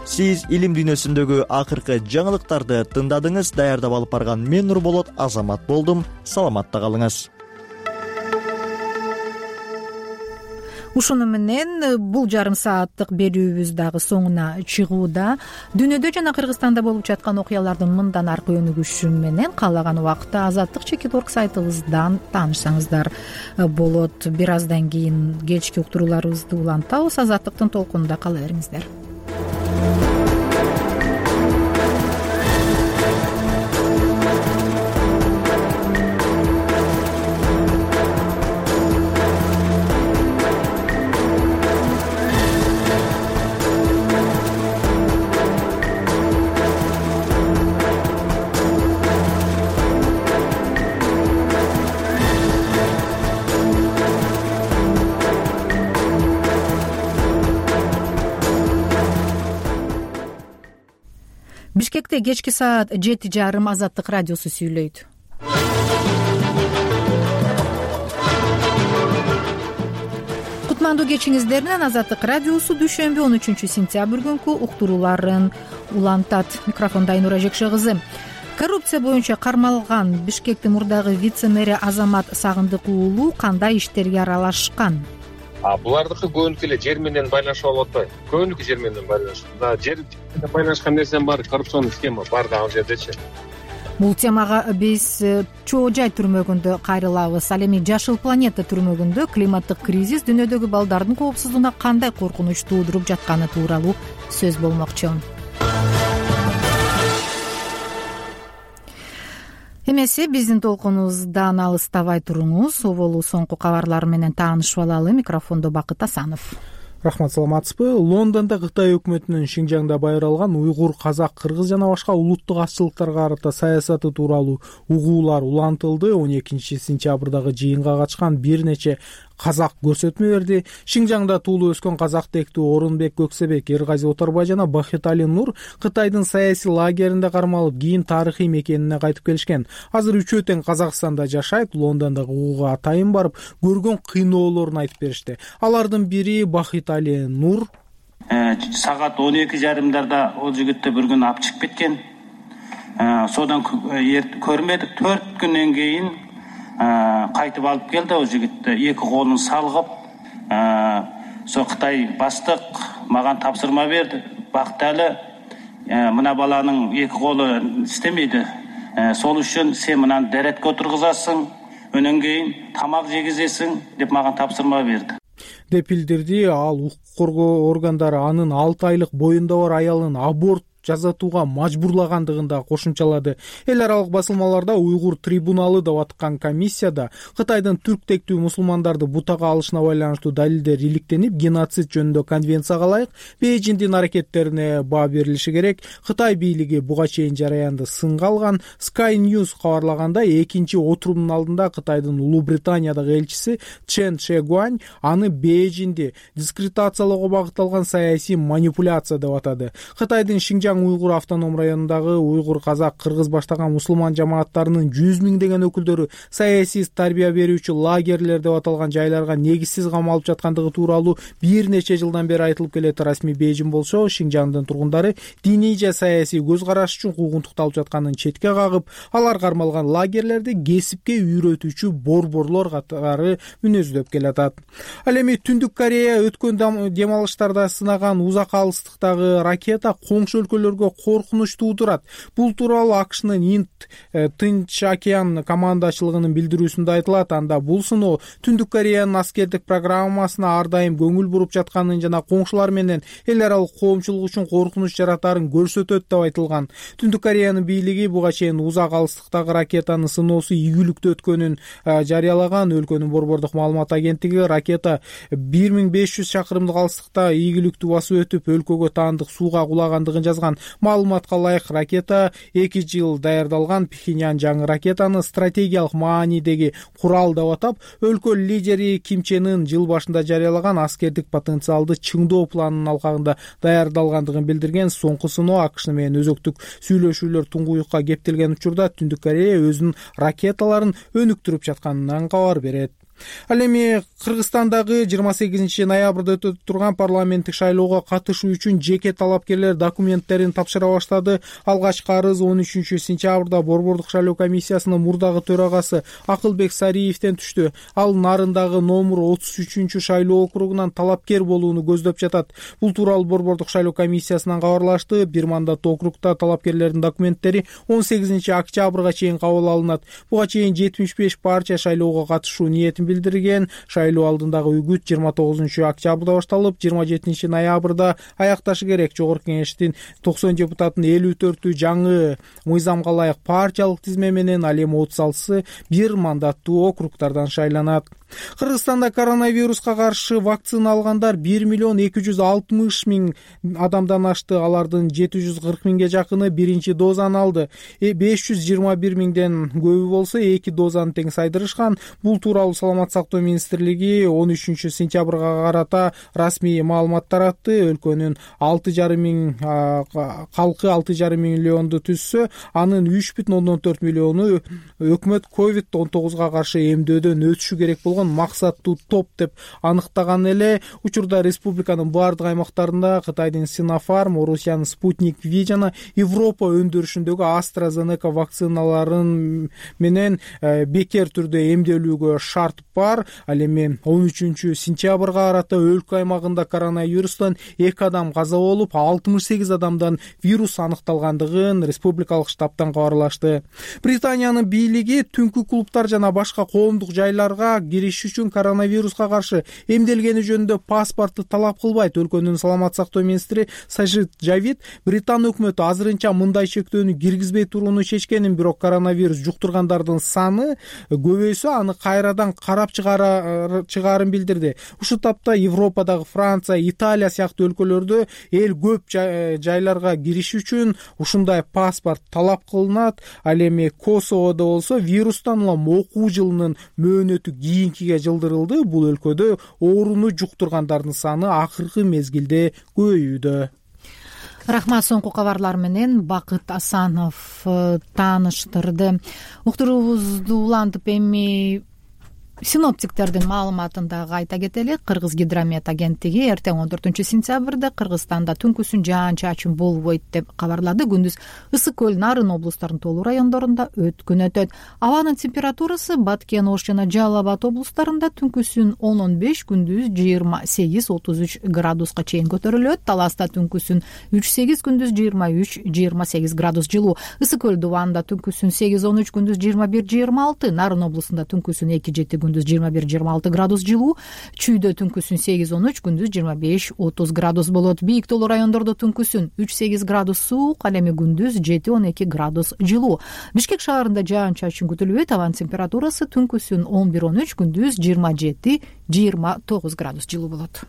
Сиз илим дүйнөсүндөгү акыркы жаңылыктарды тыңдадыңыз. Даярдап алып барган мен Нурболот Азамат болдум. Саламатта калыңыз. Ушуну менен бул жарым сааттык берүүбүз дагы соңуна чыгууда. Дүйнөдө жана Кыргызстанда болуп жаткан окуялардын мындан аркы өнүгүшү менен каалаган убакта Азаттык.org сайтыбыздан таанышсаңыздар болот. Бир аздан кийин кечки уктурууларыбызды улантабыз. Азаттыктын толкунунда кала бериңиздер. Бишкекте кечки саат 7:30 Азаттык радиосу сүйлөйт. Кутмандуу кечиңиздер менен Азаттык радиосу дүйшөмбү 13 сентябрь күнкү уктурууларын улантат. Микрофондо Айнура Жекше кызы. Коррупция боюнча кармалган Бишкектин мурдагы вице-мэри Азамат Сагындык уулу кандай иштерге аралашкан? Булардыкы көбүнкү эле жер менен байланышып алып атпайбы? Көбүнкү жер менен байланышып. Жер менен байланышкан нерсенин баары коррупционный схема бар да ал жердечи. Бул темага биз Чоо Жай түрмөгүндө кайрылабыз. Ал эми Жашыл планета түрмөгүндө климаттык кризис дүйнөдөгү балдардын коопсуздугуна кандай коркунуч туудуруп жатканы тууралуу сөз болмокчу. Эмесе биздин толкунубуздан алыстабай туруңуз. Оболу соңку кабарлар менен таанышып алалы. Микрофондо Бакыт Асанов. Рахмат, саламатсызбы? Лондондо Кытай өкмөтүнүн Шинжаңда байыралган уйгур, казак, кыргыз жана башка улуттук азчылыктарга карата саясаты тууралуу угуулар улантылды. 12 сентябрдагы жыйынга катышкан бир нече казак көрсөтмө берди. Шинжаңда туулуп өскөн казактектүү Орунбек Көксебек, Эргази Оторбай жана Бахитали Нур Кытайдын саясий лагеринде кармалып, кийин тарыхый мекенине кайтып келишкен. Азыр үчөө тең Казакстанда жашайт. Лондондогу угууга атайын барып, көргөн кыйноолорун айтып беришти. Алардын бири Бахитали Нур. Саат 12:30 ол жигитти бир күн алып чыгып кеткен. Содан көрмөдүк. 4 күндөн кийин кайтып алып келди. Ол жигитти эки колун салгып, со Кытай баштык мага тапсырма берди. Бакталы, мына баланын эки колу иштемейди. Сол үчүн сен мынаны деретке отургузасың, өнөн кийин тамак жегизесиң деп мага тапсырма берди. Деп билдирди. Ал укук коргоо органдары анын 6 айлык боюнда бар аялын аборт жасатууга мажбурлагандыгын да кошумчалады. Эл аралык басылмаларда уйгур трибуналы деп аткан комиссияда Кытайдын түрктектүү мусулмандарды бутага алышына байланыштуу далилдер иликтенип, геноцид жөнүндө конвенцияга ылайык Бейжиңдин аракеттерине баа берилиши керек. Кытай бийлиги буга чейин жараянды сынга алган. Sky News кабарлагандай, экинчи отурумдун алдында Кытайдын Улуу Британиядагы элчиси Чен Шегуань аны Бейжиңди дискредитациялоого багытталган саясий манипуляция деп атады. Кытайдын Шинжаң уйгур автоном районундагы уйгур, казак, кыргыз баштаган мусулман жамааттарынын 100 миңдеген өкүлдөрү саясий тарбия берүүчү лагерлер деп аталган жайларга негизсиз камалып жаткандыгы тууралуу бир нече жылдан бери айтылып келет. Расмий Бейжиң болсо Шинжаңдын тургундары диний же саясий көз караш үчүн куугунтукталып жатканын четке кагып, алар кармалган лагерлерди кесипке үйрөтүүчү борборлор катары мүнөздөп келатат. Ал эми Түндүк Корея өткөн дем алыштарда сынаган узак алыстыктагы ракета коңшу өлкөлөргө коркунуч туудурат. Бул тууралуу АКШнын Тынч океан командачылыгынын билдирүүсүндө айтылат. Анда бул сыноо Түндүк Кореянын аскердик программасына ар дайым көңүл буруп жатканын жана коңшулар менен эл аралык коомчулук үчүн коркунуч жаратарын көрсөтөт деп айтылган. Түндүк Кореянын бийлиги буга чейин узак алыстыктагы ракетанын сыноосу ийгиликтүү өткөнүн жарыялаган. Өлкөнүн борбордук маалымат агенттиги ракета 1500 чакырымдык алыстыкта ийгиликтүү басып өтүп, өлкөгө таандык сууга кулагандыгын жазган. Маалыматка ылайык, ракета 2 жыл даярдалган. Пхеньян жаңы ракетаны стратегиялык маанидеги курал деп атап, өлкө лидери Ким Чен Ын жыл башында жарыялаган аскердик потенциалды чыңдоо планынын алкагында даярдалгандыгын билдирген. Соңку сыноо АКШ менен өзөктүк сүйлөшүүлөр туңгуюкка кептелген учурда Түндүк Корея өзүнүн ракеталарын өнүктүрүп жатканынан кабар берет. Ал эми Кыргызстандагы 28 ноябрда өтө турган парламенттик шайлоого катышуу үчүн жеке талапкерлер документтерин тапшыра баштады. Алгачкы арыз 13 сентябрда Борбордук шайлоо комиссиясынын мурдагы төрагасы Акылбек Сариевден түштү. Ал Нарындагы номер 33 шайлоо округунан талапкер болууну көздөп жатат. Бул тууралуу Борбордук шайлоо комиссиясынан кабарлашты. Бир мандаттуу округда талапкерлердин документтери 18 октябрга чейин кабыл алынат. Буга чейин 75 партия шайлоого катышуу ниетин билдирген. Шайлоо алдындагы үгүт 29 октябрда башталып, 27 ноябрда аякташы керек. Жогорку кеңештин 90 депутатынын 54-ü жаңы мыйзамга ылайык партиялык тизме менен, ал эми 36-сы бир мандаттуу округдардан шайланат. Кыргызстанда коронавируска каршы вакцина алгандар 1,260,000 адамдан ашты. Алардын 740,000ге жакыны биринчи дозаны алды. 521,000ден көбү болсо эки дозаны тең сайдырышкан. Бул тууралуу Саламаттык сактоо министрлиги 13 сентябрга карата расмий маалымат таратты. Өлкөнүн 6,5 миң калкы 6,5 миллионду түзсө, анын 3,4 миллиону өкмөт COVID-19 каршы эмдөөдөн өтүшү керек болгон максаттуу топ деп аныктаган эле. Учурда республиканын баардык аймактарында Кытайдын Sinopharm, Орусиянын Sputnik V жана Европа өндүрүшүндөгү AstraZeneca вакциналарын менен бекер түрдө эмделүүгө шарт бар. Ал эми 13 сентябрга карата өлкө аймагында коронавирустан 2 адам каза болуп, 68 адамдан вирус аныкталгандыгын республикалык штабтан кабарлашты. Британиянын бийлиги түнкү клубтар жана башка коомдук жайларга кириш үчүн коронавируска каршы эмделгени жөнүндө паспорту талап кылбайт. Өлкөнүн саламаттык сактоо министри Сажид Жавид Британ өкмөтү азырынча мындай чектөөнү киргизбей турууну чечкенин, бирок коронавирус жуктургандардын саны көбөйсө аны кайрадан карап чыгаарын билдирди. Ушул тапта Европадагы Франция, Италия сыяктуу өлкөлөрдө эл көп жайларга кириш үчүн ушундай паспорт талап кылынат. Ал эми Косоводо болсо вирустан улам окуу жылынын мөөнөтү кийинкиге жылдырылды. Бул өлкөдө ооруну жуктургандардын саны акыркы мезгилде көбөйүүдө. Рахмат. Соңку кабарлар менен Бакыт Асанов тааныштырды. Уктуруубузду улантып эми синоптиктердин маалыматын дагы айта кетели. Кыргыз гидромет агенттиги эртең 14 сентябрда Кыргызстанда түнкүсүн жаан-чачын болбойт деп кабарлады. Күндүз Ысык көл, Нарын облустарынын толуу райондорунда өткүн өтөт. Абанын температурасы Баткен, Ош жана Жалал Абад облустарында түнкүсүн 10-15, күндүз 28-33 градуска чейин көтөрүлөт. Таласта түнкүсүн 3-8, күндүз 23-28 градус жылуу. Ысык көл Дубанда түнкүсүн 8-13, күндүз 21-26, Нарын облусунда түнкүсүн 2-7, күндүз 21-26 градус жылуу. Чүйдө түнкүсүн 8-13, күндүз 25-30 градус болот. Бийик толуу райондордо түнкүсүн 3-8 градус суук, ал эми күндүз 7-12 градус жылуу. Бишкек шаарында жаан-чачын күтүлбөйт. Абанын температурасы түнкүсүн 11-13, күндүз 27-29 градус жылуу болот.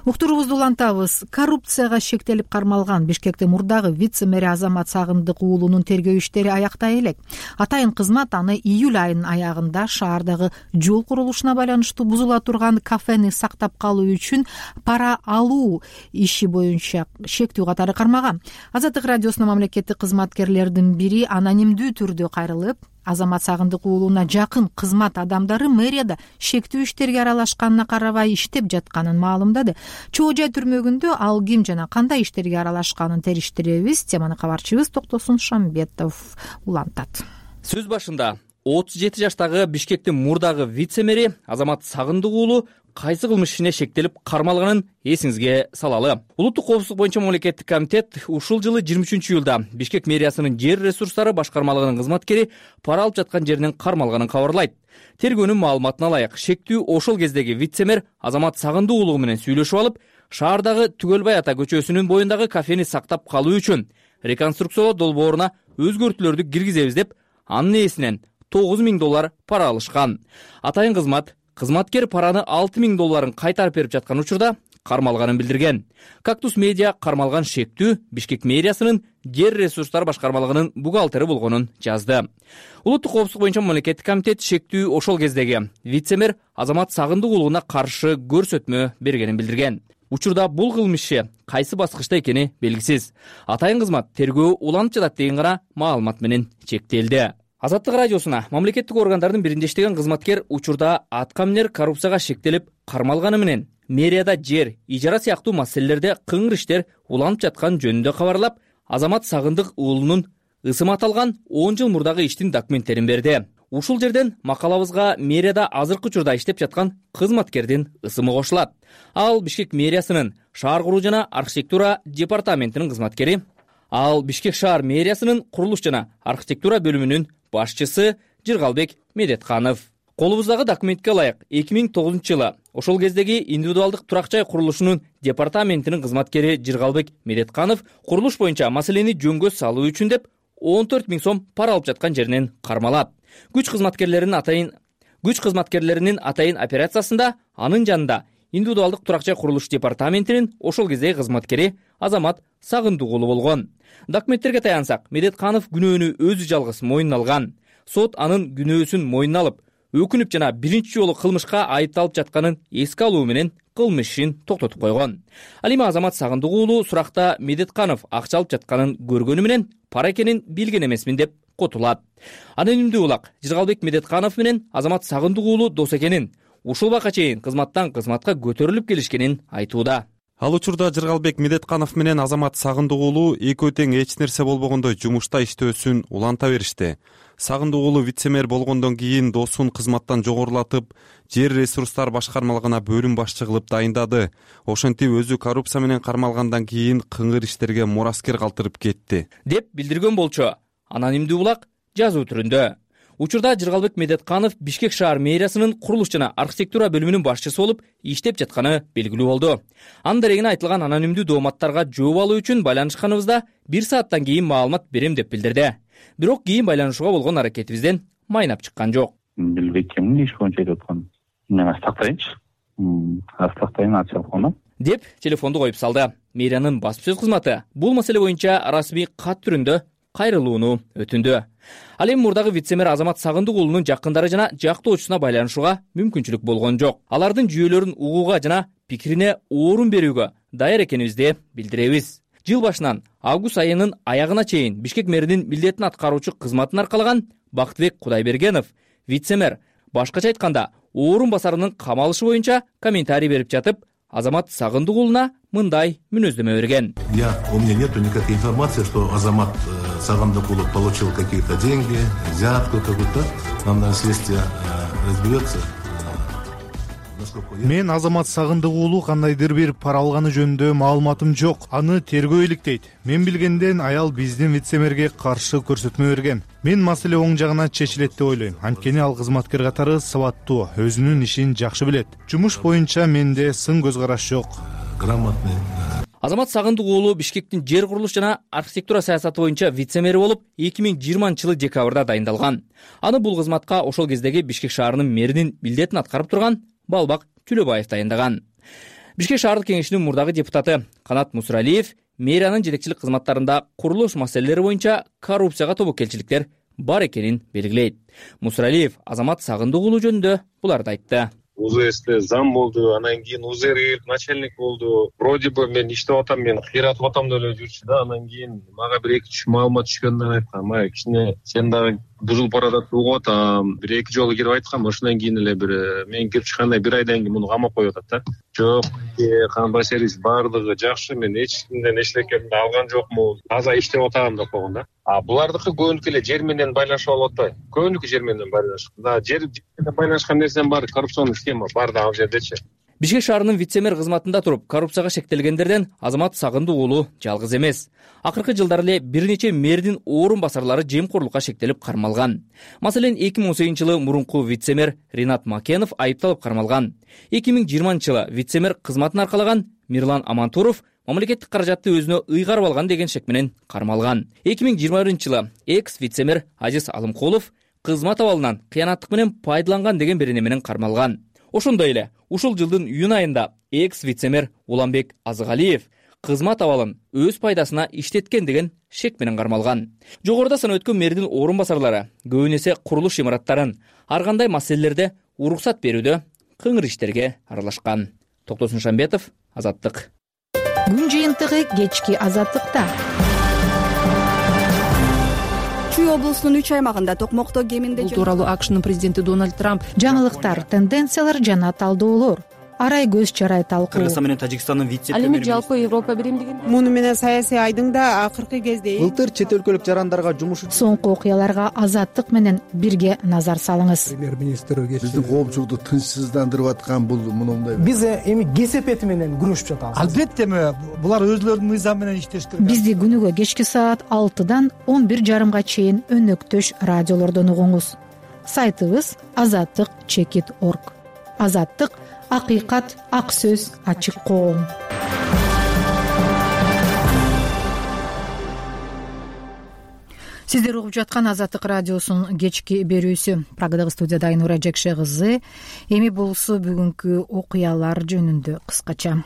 Уктуруубузду улантабыз. Коррупцияга шектелип кармалган Бишкектин мурдагы вице-мэри Азамат Сагындык уулунун тергөө иштери аяктай элек. Атайын кызмат аны июль айынын аягында шаардагы жол курулушуна байланыштуу бузула турган кафени сактап калуу үчүн пара алуу иши боюнча шектүү катары кармаган. Азаттык радиосунун мамлекеттик кызматкерлердин бири анонимдүү түрдө кайрылып, Азамат Сагындык уулуна жакын кызмат адамдары мэрияда шектүү иштерге аралашканына карабай иштеп жатканын маалымдады. Чоо жай түрмөгүндө ал ким жана кандай иштерге аралашканын териштиребиз. Теманы кабарчыбыз Токтосун Шамбетов улантат. Сөз башында 37 жаштагы Бишкектин мурдагы вице-мэри Азамат Сагындык уулу кайсы кылмыш ишине шектелип кармалганын эсиңизге салалы. Улуттук коопсуздук боюнча мамлекеттик комитет ушул жылы 23 июлда Бишкек мэриясынын жер ресурстары башкармалыгынын кызматкери пара алып жаткан жеринен кармалганын кабарлайт. Тергөөнүн маалыматына ылайык, шектүү ошол кездеги вице-мэр Азамат Сагындык уулу менен сүйлөшүп алып, шаардагы Түгөлбай ата көчөсүнүн боюндагы кафени сактап калуу үчүн реконструкциялоо долбооруна өзгөртүүлөрдү киргизебиз деп, анын ээсинен $9,000 пара алышкан. Атайын кызматкер параны $6,000 кайтарып берип жаткан учурда кармалганын билдирген. Кактус медиа кармалган шектүү Бишкек мэриясынын жер ресурстары башкармалыгынын бухгалтери болгонун жазды. Улуттук коопсуздук боюнча мамлекеттик комитет шектүү ошол кездеги вице-мэр Азамат Сагындык уулуна каршы көрсөтмө бергенин билдирген. Учурда бул кылмыш иши кайсы баскычта экени белгисиз. Атайын кызмат тергөө уланып жатат деген гана маалымат менен чектелди. Азаттык радиосуна мамлекеттик органдардын биринде иштеген кызматкер учурда аткаминер коррупцияга шектелип кармалганы менен мэрияда жер, ижара сыяктуу маселелерде кыңыр иштер уланып жаткан жөнүндө кабарлап, Азамат Сагындык уулунун ысымы аталган 10 жыл мурдагы иштин документтерин берди. Ушул жерден макалабызга мэрияда азыркы учурда иштеп жаткан кызматкердин ысымы кошулат. Ал Бишкек мэриясынын шаар куруу жана архитектура департаментинин кызматкери, ал Бишкек шаар мэриясынын курулуш жана архитектура бөлүмүнүн башчысы Жыргалбек Медетканов. Колубуздагы документке ылайык 2009 жылы ошол кездеги индивидуалдык турак жай курулушунун департаментинин кызматкери Жыргалбек Медетканов курулуш боюнча маселени жөнгө салуу үчүн деп 14 000 сом пара алып жаткан жеринен кармалат. Күч кызматкерлеринин атайын операциясында анын жанында индивидуалдык турак жай курулуш департаментинин ошол кездеги кызматкери Азамат Сагындык уулу болгон. Документтерге таянсак, Медетканов күнөөнү өзү жалгыз мойнуна алган. Сот анын күнөөсүн мойнуна алып, өкүнүп жана биринчи жолу кылмышка айыпталып жатканын эске алуу менен кылмыш ишин токтотуп койгон. Ал эми Азамат Сагындык уулу суракта Медетканов акча алып жатканын көргөнү менен пара экенин билген эмесмин деп котулат. Анонимдүү улак Жыргалбек Медетканов менен Азамат Сагындык уулу дос экенин, ушул убакка чейин кызматтан кызматка көтөрүлүп келишкенин айтууда. Ал учурда Жыргалбек Медетканов менен Азамат Сагындык уулу экөө тең эч нерсе болбогондой жумушта иштөөсүн уланта беришти. Сагындык уулу вице-мэр болгондон кийин досун кызматтан жогорулатып, жер ресурстар башкармалыгына бөлүм башчы кылып дайындады. Ошентип өзү коррупция менен кармалгандан кийин кыңыр иштерге мураскер калтырып кетти, деп билдирген болчу анонимдүү улак жазуу түрүндө. Учурда Жыргалбек Медетканов Бишкек шаар мэриясынын курулуш жана архитектура бөлүмүнүн башчысы болуп иштеп жатканы белгилүү болду. Анын дарегине айтылган анонимдүү дооматтарга жооп алуу үчүн байланышканыбызда 1 сааттан кийин маалымат берем деп билдирди. Бирок кийин байланышууга болгон аракетибизден майнап чыккан жок. Билбейм, иш боюнча айтып аткан. Мен астактайынчы. Астактайын ачылганы. Деп телефонду коюп салды. Мэриянын басып сөз кызматы бул маселе боюнча расмий кат түрүндө кайрылууну өтүндү. Ал эми мурдагы вице-мэр Азамат Сагындык уулунун жакындары жана жактоочусуна байланышууга мүмкүнчүлүк болгон жок. Алардын жүйөлөрүн угууга жана пикирине орун берүүгө даяр экенибизди билдиребиз. Жыл башынан август айынын аягына чейин Бишкек мэринин милдетин аткаруучу кызматын аркалаган Бактыбек Кудайбергенов вице-мэр башкача айтканда орун басарынын камалышы боюнча комментарий берип жатып, Азамат Сагындык уулуна мындай мүнөздөмө берген. У меня нету никакой информации, что Азамат Сагындык уулу получил какие-то деньги, взятку какую-то. Нам следствие разберется. Мен Азамат Сагындык уулу кандайдыр бир пара алганы жөнүндө маалыматым жок. Аны тергөө иликтейт. Мен билгенден аял биздин вице-мэрге каршы көрсөтмө берген. Мен маселе оң жагына чечилет деп ойлойм. Анткени ал кызматкер катары сабаттуу, өзүнүн ишин жакшы билет. Жумуш боюнча менде сын көз караш жок. Грамотный. Азамат Сагындык уулу Бишкектин жер курулуш жана архитектура саясаты боюнча вице-мэри болуп 2020-жылы декабрда дайындалган. Аны бул кызматка ошол кездеги Бишкек шаарынын мэринин милдетин аткарып турган Балбак Түлөбаев дайындаган. Бишкек шаардык кеңешинин мурдагы депутаты Канат Мусралиев мэриянын жетекчилик кызматтарында курулуш маселелери боюнча коррупцияга тобокелчиликтер бар экенин белгилейт. Мусралиев Азамат Сагындык уулу жөнүндө буларды айтты. УЗСте зам болду, анан кийин УЗР начальник болду. Вроде бы мен иштеп атам, мен кыйратып атам деп эле жүрчү да. Анан кийин мага бир 2-3 маалымат түшкөндөн айткан, "Май, кичине сен дагы бузулуп баратат угуп атам." 1-2 жолу кирип айткам, ошондон кийин эле мен кирип чыкканда 1 айдан кийин муну камап коюп атат да. Жок, кандай сервис бардыгы жакшы, мен эч кимден эчтекемди алган жокмун. Таза иштеп атам деп койгон да. Булардыкы көбүнкү эле жер менен байланышып алып атпайбы? Көбүнкү жер менен байланышып. Жер менен байланышкан нерсенин баары коррупционный схема бар да ал жердечи. Бишкек шаарынын вице-мэр кызматында туруп коррупцияга шектелгендерден Азамат Сагындык уулу жалгыз эмес. Акыркы жылдары эле бир нече мэрдин орун басарлары жемкорлукка шектелип кармалган. Маселен 2018-жылы мурунку вице-мэр Ринат Макенов айыпталып кармалган. 2020-жылы вице-мэр кызматын аркалаган Мирлан Амантуров мамлекеттик каражатты өзүнө ыйгарып алган деген шек менен кармалган. 2021-жылы экс вице-мэр Азиз Алымкулов кызмат абалынан кыянаттык менен пайдаланган деген берене менен кармалган. Ошондой эле ушул жылдын июнь айында экс вице-мэр Уланбек Азыгалиев кызмат абалын өз пайдасына иштеткен деген шек менен кармалган. Жогоруда санап өткөн мэрдин орун басарлары көбүн эсе курулуш имараттарын ар кандай маселелерде уруксат берүүдө кыңыр иштерге аралашкан. Токтосун Шамбетов, Азаттык. Күн жыйынтыгы кечки Азаттыкта. Чүй облусунун 3 аймагында токмокто кеминде бул тууралуу АКШнын президенти Дональд Трамп жаңылыктар, тенденциялар жана талдоолор. Арай көз чарай талкуу. Кыргызстан менен Тажикстандын ал эми жалпы Европа биримдиги муну менен саясий айдыңда акыркы кезде былтыр чет өлкөлүк жарандарга жумуш Соңку окуяларга Азаттык менен бирге назар салыңыз. Премьер-министр биздин коомчулукту тынчсыздандырып аткан бул мындай. Биз эми кесепети менен күрөшүп жатабыз. Албетте булар өзлөрүнүн мыйзам менен иштеш керек. Бизди күнүгө кечки саат 6-дан 11:30 чейин өнөктөш радиолордон угуңуз. Сайтыбыз azattik.org. Азаттык — акыйкат, ак сөз, ачык коом. Сиздер угуп жаткан Азаттык радиосунун кечки берүүсү. Прагадагы студияда Айнура Жекше кызы. Эми болсо бүгүнкү окуялар жөнүндө кыскача.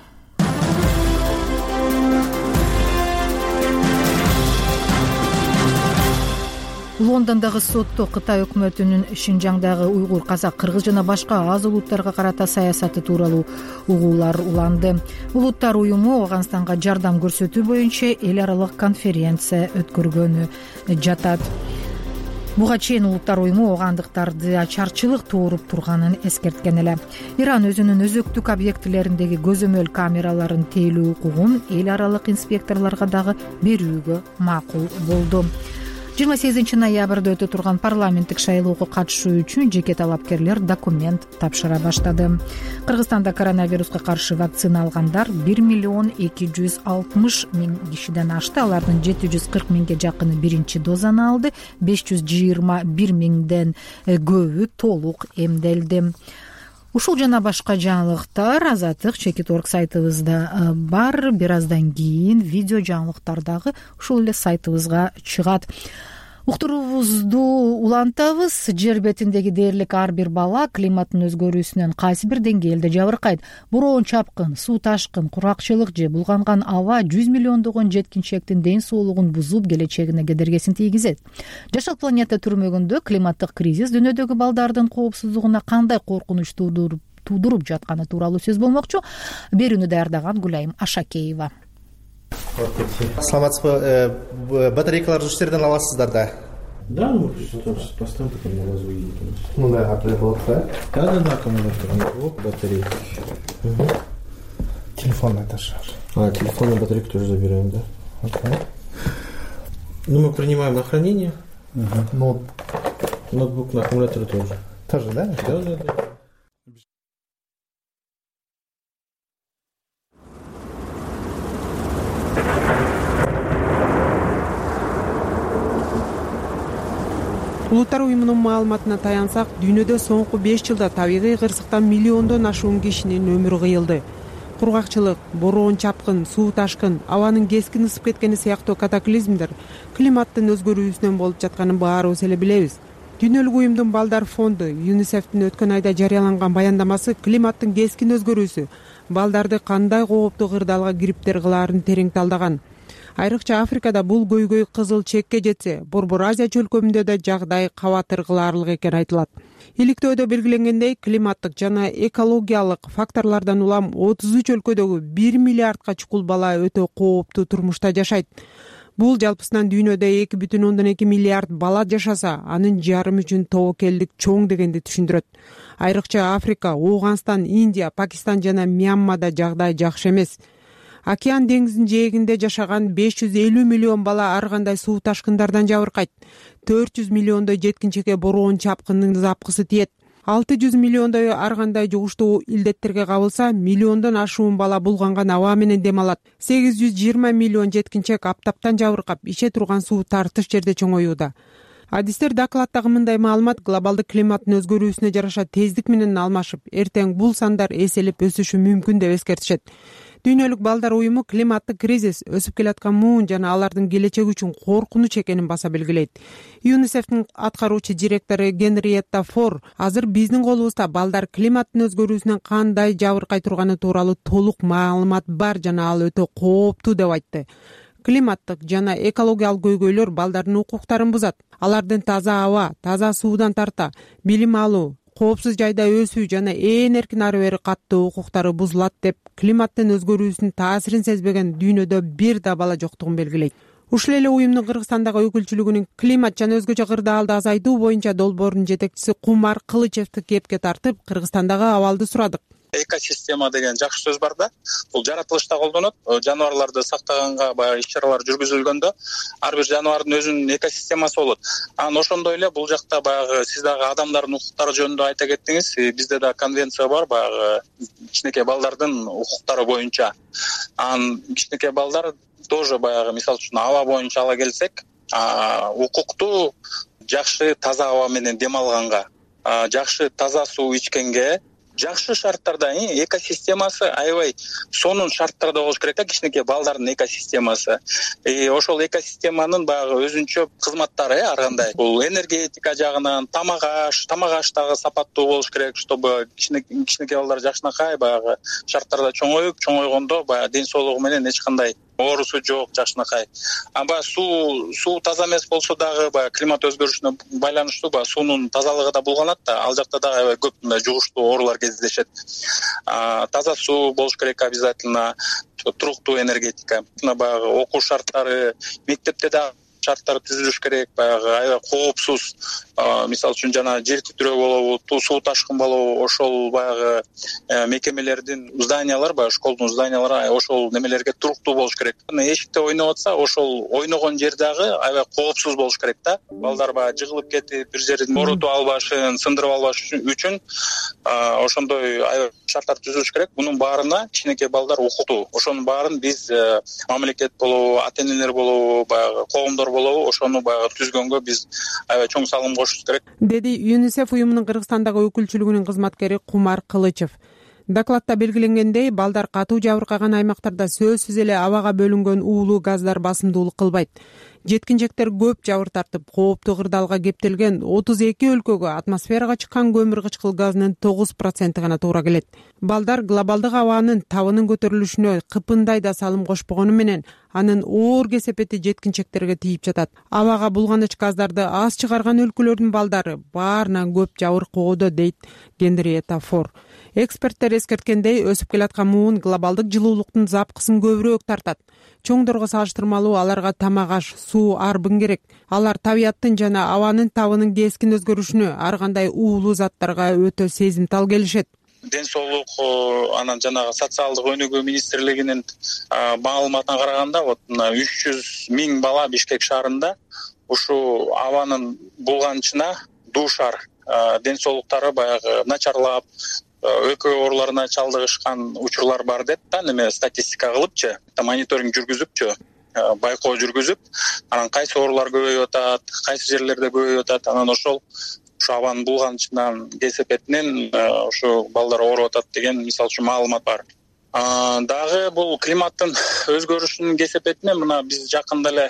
Лондондогу сотто Кытай өкмөтүнүн Шинжаңдагы уйгур, казак, кыргыз жана башка аз улуттарга карата саясаты тууралуу угуулар уланды. Улуттар уюму Ооганстанга жардам көрсөтүү боюнча эл аралык конференция өткөргөнү жатат. Буга чейин улуттар уюму оогандыктарды ачарчылык тууруп турганын эскерткен эле. Иран өзүнүн өзөктүк объектилериндеги көзөмөл камераларын тейлөө укугун эл аралык инспекторлорго дагы берүүгө макул болду. 28 ноябрда өтө турган парламенттик шайлоого катышуу үчүн жеке талапкерлер документ тапшыра баштады. Кыргызстанда коронавируска каршы вакцина алгандар 1,260,000 кишиден ашты. Алардын 740 миңге жакыны биринчи дозаны алды, 521 миңден көбү толук эмделди. Ушул жана башка жаңылыктар Azattik.org сайтыбызда бар. Бир аздан кийин видео жаңылыктар дагы ушул эле сайтыбызга чыгат. Уктуруубузду улантабыз. Жер бетиндеги дээрлик ар бир бала климаттын өзгөрүүсүнөн кайсы бир деңгээлде жабыркайт. Бороон чапкын, суу ташкын, куракчылык же булганган аба 100 миллиондогон жеткинчектин ден соолугун бузуп, келечегине кедергисин тийгизет. Жашыл планета түрмөгүндө климаттык кризис дүйнөдөгү балдардын коопсуздугуна кандай коркунуч туудуруп жатканы тууралуу сөз болмокчу. Берүүнү даярдаган Гүлайым Ашакеева. Саламатсызбы? Батарейкаларды ушул жерден аласыздар да? Да, поставим только на лазу и мындай катары болот да? Да, аккумулятор. Вот батарейка. Телефонный этаж. Телефонную батарейку тоже забираем, да? Ну, мы принимаем на хранение. Ноутбук на аккумулятор тоже. Тоже, да? Да. Улуттар уюмунун маалыматына таянсак, дүйнөдө соңку 5 жылда табигый кырсыктан миллиондон ашуун кишинин өмүрү кыйылды. Кургакчылык, бороон чапкын, суу ташкын, абанын кескин ысып кеткени сыяктуу катаклизмдер климаттын өзгөрүүсүнөн болуп жатканын баарыбыз эле билебиз. Дүйнөлүк уюмдун балдар фонду ЮНИСЕФтин өткөн айда жарыяланган баяндамасы климаттын кескин өзгөрүүсү балдарды кандай кооптуу кырдаалга кириптер кылаарын терең талдаган. Айрыкча Африкада бул көйгөй кызыл чекке жетсе, Борбор Азия чөлкөмүндө да жагдай кабатыр кылаарлык экени айтылат. Иликтөөдө белгиленгендей, климаттык жана экологиялык факторлордон улам 33 өлкөдөгү 1 миллиардка чукул бала өтө кооптуу турмушта жашайт. Бул жалпысынан дүйнөдө 2,2 миллиард бала жашаса, анын жарымы үчүн тобокелдик чоң дегенди түшүндүрөт. Айрыкча Африка, Ооганстан, Индия, Пакистан жана Мьянмада жагдай жакшы эмес. Океан деңизинин жээгинде жашаган 550 миллион бала ар кандай суу ташкындардан жабыркайт. 400 миллиондой жеткинчекке бороон чапкынын запкысы тиет. 600 миллиондой ар кандай жугуштуу илдеттерге кабылса, миллиондон ашуун бала булганган аба менен дем алат. 820 миллион жеткинчек аптаптан жабыркап, иче турган суу тартыш жерде чоңоюуда. Адистер докладдагы мындай маалымат глобалдык климаттын өзгөрүүсүнө жараша тездик менен алмашып, эртең бул сандар эселеп өсүшү мүмкүн деп эскертишет. Дүйнөлүк балдар уюму климаттык кризис өсүп келаткан муун жана алардын келечеги үчүн коркунуч экенин баса белгилейт. ЮНИСЕФтин аткаруучу директору Генриетта Фор азыр биздин колубузда балдар климаттын өзгөрүүсүнөн кандай жабыркай турганы тууралуу толук маалымат бар жана ал өтө кооптуу деп айтты. Климаттык жана экологиялык көйгөйлөр балдардын укуктарын бузат. Алардын таза аба, таза суудан тарта билим алуу, коопсуз жайда өсүү жана ээн эркин ары бери каттоо укуктары бузулат деп климаттын өзгөрүүсүнүн таасирин сезбеген дүйнөдө бир да бала жоктугун белгилейт. Ушул эле уюмдун Кыргызстандагы өкүлчүлүгүнүн климат жана өзгөчө кырдаалды азайтуу боюнча долбоорунун жетекчиси Кумар Кылычевди кепке тартып, Кыргызстандагы абалды сурадык. Экосистема деген жакшы сөз бар да. Бул жаратылышта колдонот. Жаныбарларды сактаганга баягы иш-чаралар жүргүзүлгөндө ар бир жаныбардын өзүнүн экосистемасы болот. Анан ошондой эле бул жакта баягы сиз дагы адамдардын укуктары жөнүндө айта кеттиңиз. Бизде да конвенция бар баягы кичинекей балдардын укуктары боюнча. Анан кичинекей балдар тоже баягы мисалы үчүн аба боюнча ала келсек, укуктуу жакшы таза аба менен дем алганга, жакшы таза суу ичкенге, жакшы шарттарда экосистемасы аябай сонун шарттарда болуш керек да, кичинекей балдардын экосистемасы. Ошол экосистеманын баягы өзүнчө кызматтары ар кандай. Бул энергетика жагынан тамак аш дагы сапаттуу болуш керек, чтобы кичинекей балдар жакшынакай баягы шарттарда чоңойгондо баягы ден соолугу менен эч кандай оорусу жок, жакшынакай. Баягы суу таза эмес болсо дагы баягы климат өзгөрүшүнө байланыштуу баягы суунун тазалыгы да булганат да. Ал жакта дагы аябай көп жугуштуу оорулар кездешет. Таза суу болуш керек обязательно, туруктуу энергетика. Баягы окуу шарттары, мектепте да шарттар түзүлүш керек, баягы аябай коопсуз, мисалы үчүн жана жер титирөө болобу, суу ташкын болобу, ошол баягы мекемелердин зданиялар, баягы школдун зданиялары ошол немелерге туруктуу болуш керек. Эшикте ойноп атса, ошол ойногон жер дагы аябай коопсуз болуш керек да. Балдар баягы жыгылып кетип, бир жерин оорутуп албашын, сындырып албаш үчүн ошондой аябай шарттар түзүлүш керек. Мунун баарына кичинекей балдар укуктуу. Ошонун баарын биз мамлекет болобу, ата-энелер болобу, баягы коомдор болобу, ошону баягы түзгөнгө биз аябай чоң салым кошушубуз керек, деди ЮНИСЕФ уюмунун Кыргызстандагы өкүлчүлүгүнүн кызматкери Кумар Кылычев. Докладта белгиленгендей, балдар катуу жабыркаган аймактарда сөзсүз эле абага бөлүнгөн уулуу газдар басымдуулук кылбайт. Жеткинжектер көп жабыр тартып, кооптуу кырдаалга кептелген 32 өлкөгө атмосферага чыккан көмүр кычкыл газынын 9% гана туура келет. Балдар глобалдык абанын табынын көтөрүлүшүнө кыпындай да салым кошпогону менен, анын оор кесепети жеткинчектерге тийип жатат. Абага булганыч газдарды аз чыгарган өлкөлөрдүн балдары баарынан көп жабыркоодо, дейт Генриетта Фор. Эксперттер эскерткендей, өсүп келаткан муун глобалдык жылуулуктун запкысын көбүрөөк тартат. Чоңдорго салыштырмалуу аларга тамак аш, суу арбын керек. Алар табияттын жана абанын табынын кескин өзгөрүшүнө, ар кандай уулуу заттарга өтө сезимтал келишет. Ден соолук анан жанагы социалдык өнүгүү министрлигинин маалыматына караганда, 300 000 бала Бишкек шаарында ушу абанын булганычына дуушар, ден соолуктары баягы начарлап, өкө ооруларына чалдыгышкан учурлар бар деп да, неме статистика кылыпчы, мониторинг жүргүзүпчү, байкоо жүргүзүп, анан кайсы оорулар көбөйүп атат, кайсы жерлерде көбөйүп атат, анан ошол абанын булганычынан кесепетинен ушу балдар ооруп атат деген мисалы үчүн маалымат бар. Дагы бул климаттын өзгөрүшүнүн кесепетинен мына биз жакында эле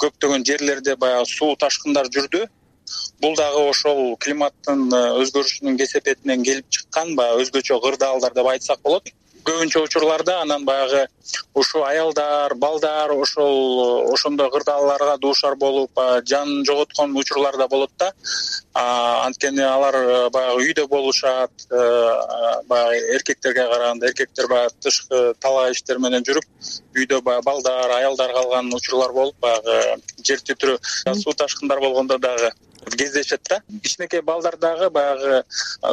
көптөгөн жерлерде баягы суу ташкындар жүрдү. Бул дагы ошол климаттын өзгөрүшүнүн кесепетинен келип чыккан баягы өзгөчө кырдаалдар деп айтсак болот. Көбүнчө учурларда анан баягы ушу аялдар, балдар ошондой кырдаалдарга дуушар болуп, жанын жоготкон учурлар да болот да. Анткени алар баягы үйдө болушат, баягы эркектерге караганда, эркектер баягы тышкы талаа иштер менен жүрүп, үйдө баягы балдар, аялдар калган учурлар болуп, баягы жер титирөө, суу ташкындар болгондо дагы кездешет да. Кичинекей балдар дагы баягы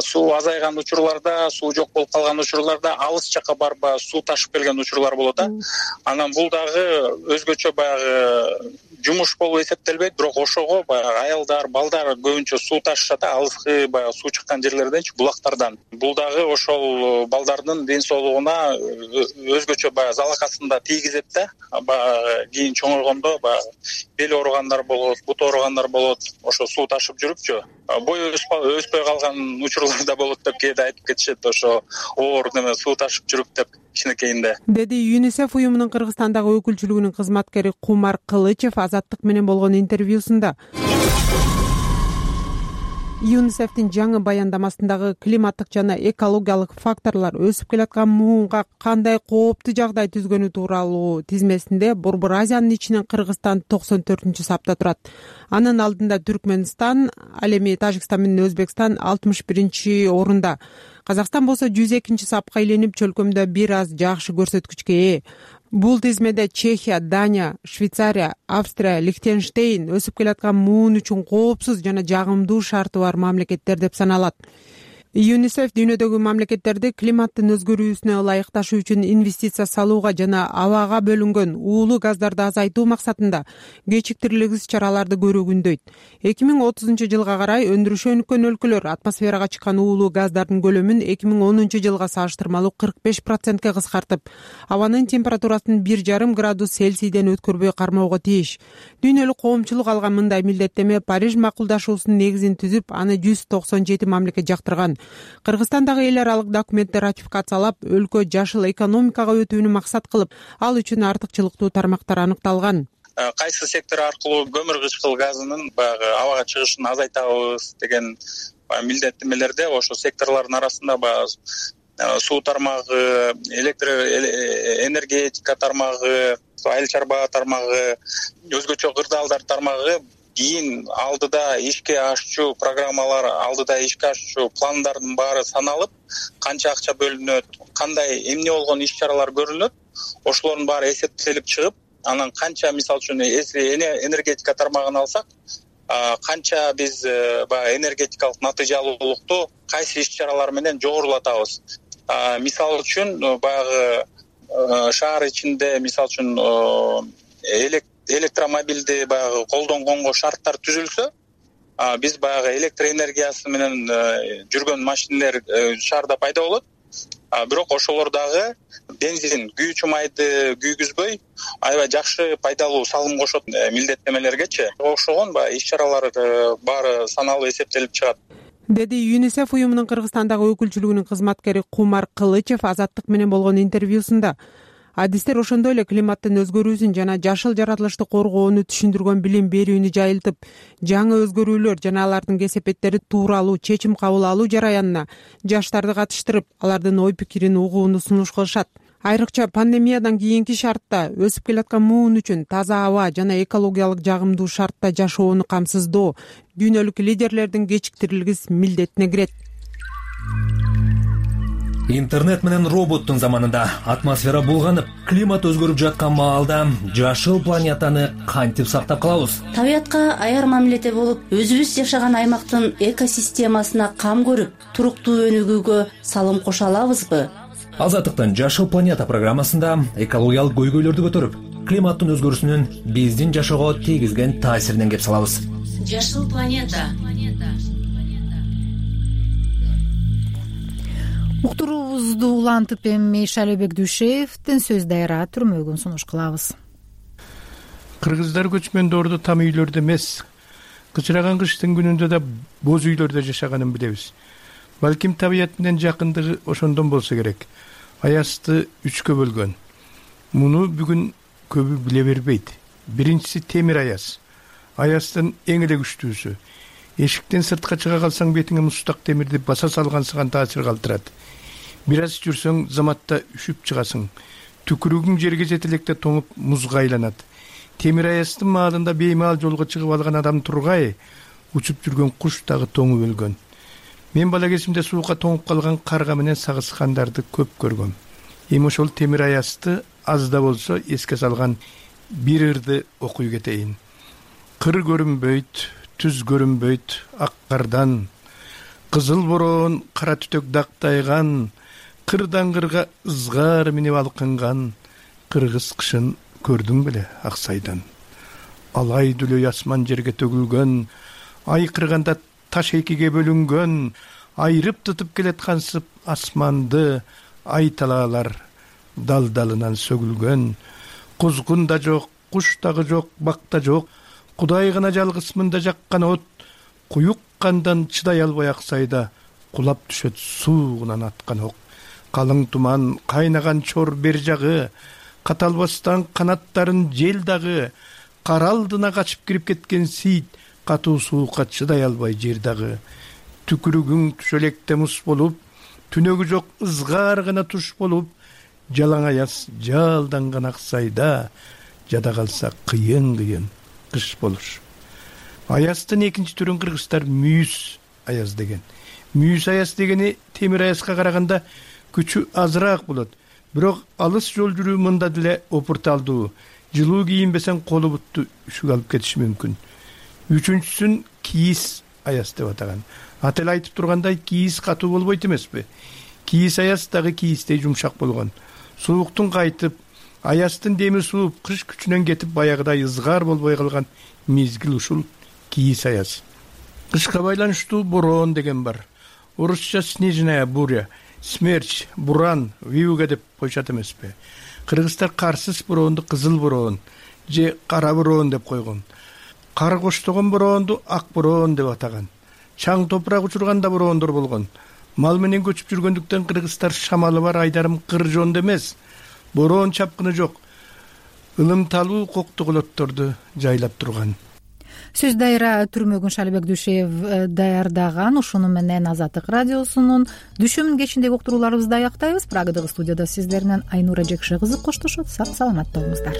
суу азайган учурларда, суу жок болуп калган учурларда алыс жакка барып суу ташып келген учурлар болот да. Анан бул дагы өзгөчө баягы жумуш болуп эсептелбейт, бирок ошого баягы аялдар, балдар көбүнчө суу ташышат, алыскы баягы суу чыккан жерлерденчи, булактардан. Бул дагы ошол балдардын ден соолугуна өзгөчө баягы залакасын да тийгизет да. Баягы кийин чоңойгондо баягы бел ооругандар болот, бут ооругандар болот, ошо суу ташып жүрүпчү. Бой өспөй калган учурлар да болот деп кээде айтып кетишет, ошо оор неме суу ташып жүрүп деп кичинекейинде, деди ЮНИСЕФ уюмунун Кыргызстандагы өкүлчүлүгүнүн кызматкери Кумар Кылычев Азаттык менен болгон интервьюсунда. юнисефтин жаңы баяндамасындагы климаттык жана экологиялык факторлор өсүп келаткан муунга кандай кооптуу жагдай түзгөнү тууралуу тизмесинде Борбор Азиянын ичинен Кыргызстан 94-сапта турат. Анын алдында Түркмөнстан, ал эми Тажикстан менен Өзбекстан 61-орунда. Казакстан болсо 102-сапка айленип чөлкөмдө бир аз жакшы көрсөткүчкө ээ. Бул тизмеде Чехия, Дания, Швейцария, Австрия, Лихтенштейн өсүп келаткан муун үчүн коопсуз жана жагымдуу шарты бар мамлекеттер деп саналат. ЮНИСЕФ дүйнөдөгү мамлекеттерди климаттын өзгөрүүсүнө ылайыкташуу үчүн инвестиция салууга жана абага бөлүнгөн уулуу газдарды азайтуу максатында кечиктирилгис чараларды көрүүгө үндөйт. 2030-жылга карай өндүрүшү өнүккөн өлкөлөр атмосферага чыккан уулуу газдардын көлөмүн 2010-жылга салыштырмалуу 45%ке кыскартып, абанын температурасын 1,5 градус Цельсийден өткөрбөй кармоого тийиш. Дүйнөлүк коомчулук алган мындай милдеттеме Париж макулдашуусунун негизин түзүп, аны 197 мамлекет жактырган. Кыргызстан дагы эл аралык документти ратификациялап, өлкө жашыл экономикага өтүүнү максат кылып, ал үчүн артыкчылыктуу тармактар аныкталган. Кайсы сектор аркылуу көмүр кычкыл газынын баягы абага чыгышын азайтабыз деген милдеттемелерде ошо секторлордун арасында суу тармагы, электр энергетика тармагы, айыл чарба тармагы, өзгөчө кырдаалдар тармагы кийин алдыда ишке ашчу программалар, алдыда ишке ашчу пландардын баары саналып, канча акча бөлүнөт, кандай эмне болгон иш-чаралар көрүлөт, ошолордун баары эсептелип чыгып, анан канча мисалы үчүн энергетика тармагын алсак, канча биз баягы энергетикалык натыйжалуулукту кайсы иш-чаралар менен жогорулатабыз. Мисалы үчүн баягы шаар ичинде мисалы үчүн электромобилди баягы колдонгонго шарттар түзүлсө, биз баягы электр энергиясы менен жүргөн машинелер шаарда пайда болот. Бирок ошолор дагы бензин, күйүүчү майды күйгүзбөй, аябай жакшы пайдалуу салым кошот милдеттемелергечи. Ошогон баягы иш-чаралар баары саналып эсептелип чыгат, деди ЮНИСЕФ уюмунун Кыргызстандагы өкүлчүлүгүнүн кызматкери Кумар Кылычев Азаттык менен болгон интервьюсунда. Адистер ошондой эле климаттын өзгөрүүсүн жана жашыл жаратылышты коргоону түшүндүргөн билим берүүнү жайылтып, жаңы өзгөрүүлөр жана алардын кесепеттери тууралуу чечим кабыл алуу жараянына жаштарды катыштырып, алардын ой-пикирин угууну сунуш кылышат. Айрыкча пандемиядан кийинки шартта өсүп келаткан муун үчүн таза аба жана экологиялык жагымдуу шартта жашоону камсыздоо дүйнөлүк лидерлердин кечиктирилгис милдетине кирет. Интернет менен роботтун заманында атмосфера булганып, климат өзгөрүп жаткан маалда жашыл планетаны кантип сактап калабыз? Табиятка аяр мамиледе болуп, өзүбүз жашаган аймактын экосистемасына кам көрүп, туруктуу өнүгүүгө салым кошо алабызбы? Азаттыктын Жашыл планета программасында экологиялык көйгөйлөрдү көтөрүп, климаттын өзгөрүүсүнүн биздин жашоого тийгизген таасиринен кеп салабыз. Жашыл планета. Уктуруубузду улантып эми Шалебек Дүйшеевдин сөз дайра түрмөгүн сунуш кылабыз. Кыргыздар көчмөндөрдү там үйлөрдө эмес, кычыраган кыштын күнүндө да боз үйлөрдө жашаганын билебиз. Балким табият менен жакындыгы ошондон болсо керек. Аязды 3кө бөлгөн. Муну бүгүн көбү биле бербейт. Биринчиси темир аяз. Аяздын эң эле күчтүүсү. Эшиктен сыртка чыга калсаң бетиңе мустак темирди баса салгансыган таасир калтырат. Бир аз жүрсөң заматта үшүп чыгасың. Түкүрүгүң жерге жете электе тоңуп музга айланат. Темир аяздын маалында беймаал жолго чыгып алган адам тургай, учуп жүргөн куш дагы тоңуп өлгөн. Мен бала кезимде сууга тоңуп калган карга менен сагышкандарды көп көргөм. Эми ошол темир аязды аз да болсо эске салган бир ырды окуй кетейин. Кыр көрүнбөйт, түз көрүнбөйт ак кардан, кызыл бороон кара түтөк дактайган, кырдан кырга ызгар минип алкынган, кыргыз кышын көрдүң беле Аксайдан. Алай дүлөй асман жерге төгүлгөн, ай кырганда таш экиге бөлүнгөн, айрып тутуп келаткансып асманды ай талаалар дал-далынан сөгүлгөн. Кузгун да жок, куш дагы жок, бак да жок, Кудай гана жалгыз мында жаккан от, куюк кандан чыдай албай Аксайда кулап түшөт суугунан аткан ок. Калың туман, кайнаган чор бер жагы, каталбастан канаттарын жел дагы, кара алдына качып кирип кеткен сейит, катуу суукка чыдай албай жер дагы. түкүрүгүң түшөлекте муз болуп, түнөгү жок ызгаар гана туш болуп, жалаң аяз жалданган ак сайда, жада калса кыйын кыш болур. Аяздын экинчи түрүн кыргыздар мүйүз аяз деген. Мүйүз аяз дегени темир аязга караганда күчү азыраак болот. Бирок алыс жол жүрүү мында деле опурталдуу. Жылуу кийинбесең колу бутту үшүк алып кетиши мүмкүн. Үчүнчүсүн кийиз аяз деп атаган. Аты эле айтып тургандай, кийиз катуу болбойт эмеспи? Кийиз аяз дагы кийиздей жумшак болгон. Сууктун кайтып, аяздын деми сууп, кыш күчүнөн кетип, баягыдай ызгаар болбой калган мезгил ушул кийиз аяз. Кышка байланыштуу бороон деген бар. Орусча снежная буря, смерч, буран, вьюга деп коюшат эмеспи? Кыргыздар карсыз бороонду кызыл бороон же кара бороон деп койгон. Кар коштогон бороонду ак бороон деп атаган. Чаң топурак учурганда бороондор болгон. Мал менен көчүп жүргөндүктөн кыргыздар шамалы бар айдарым кыр жоонду эмес. Бороон чапкыны жок. Ылымталуу коктоголотторду жайлап турган. Сөз дайра Түрмөгүн Шалибек Дүйшеев даярдаган. Ушуну менен Азаттык радиосунун Дүшөмүн кечиндеги уктурууларыбызды аяктайбыз. Прагадагы студияда сиздер менен Айнура Жекше кызы коштошот. Сак саламатта болуңуздар.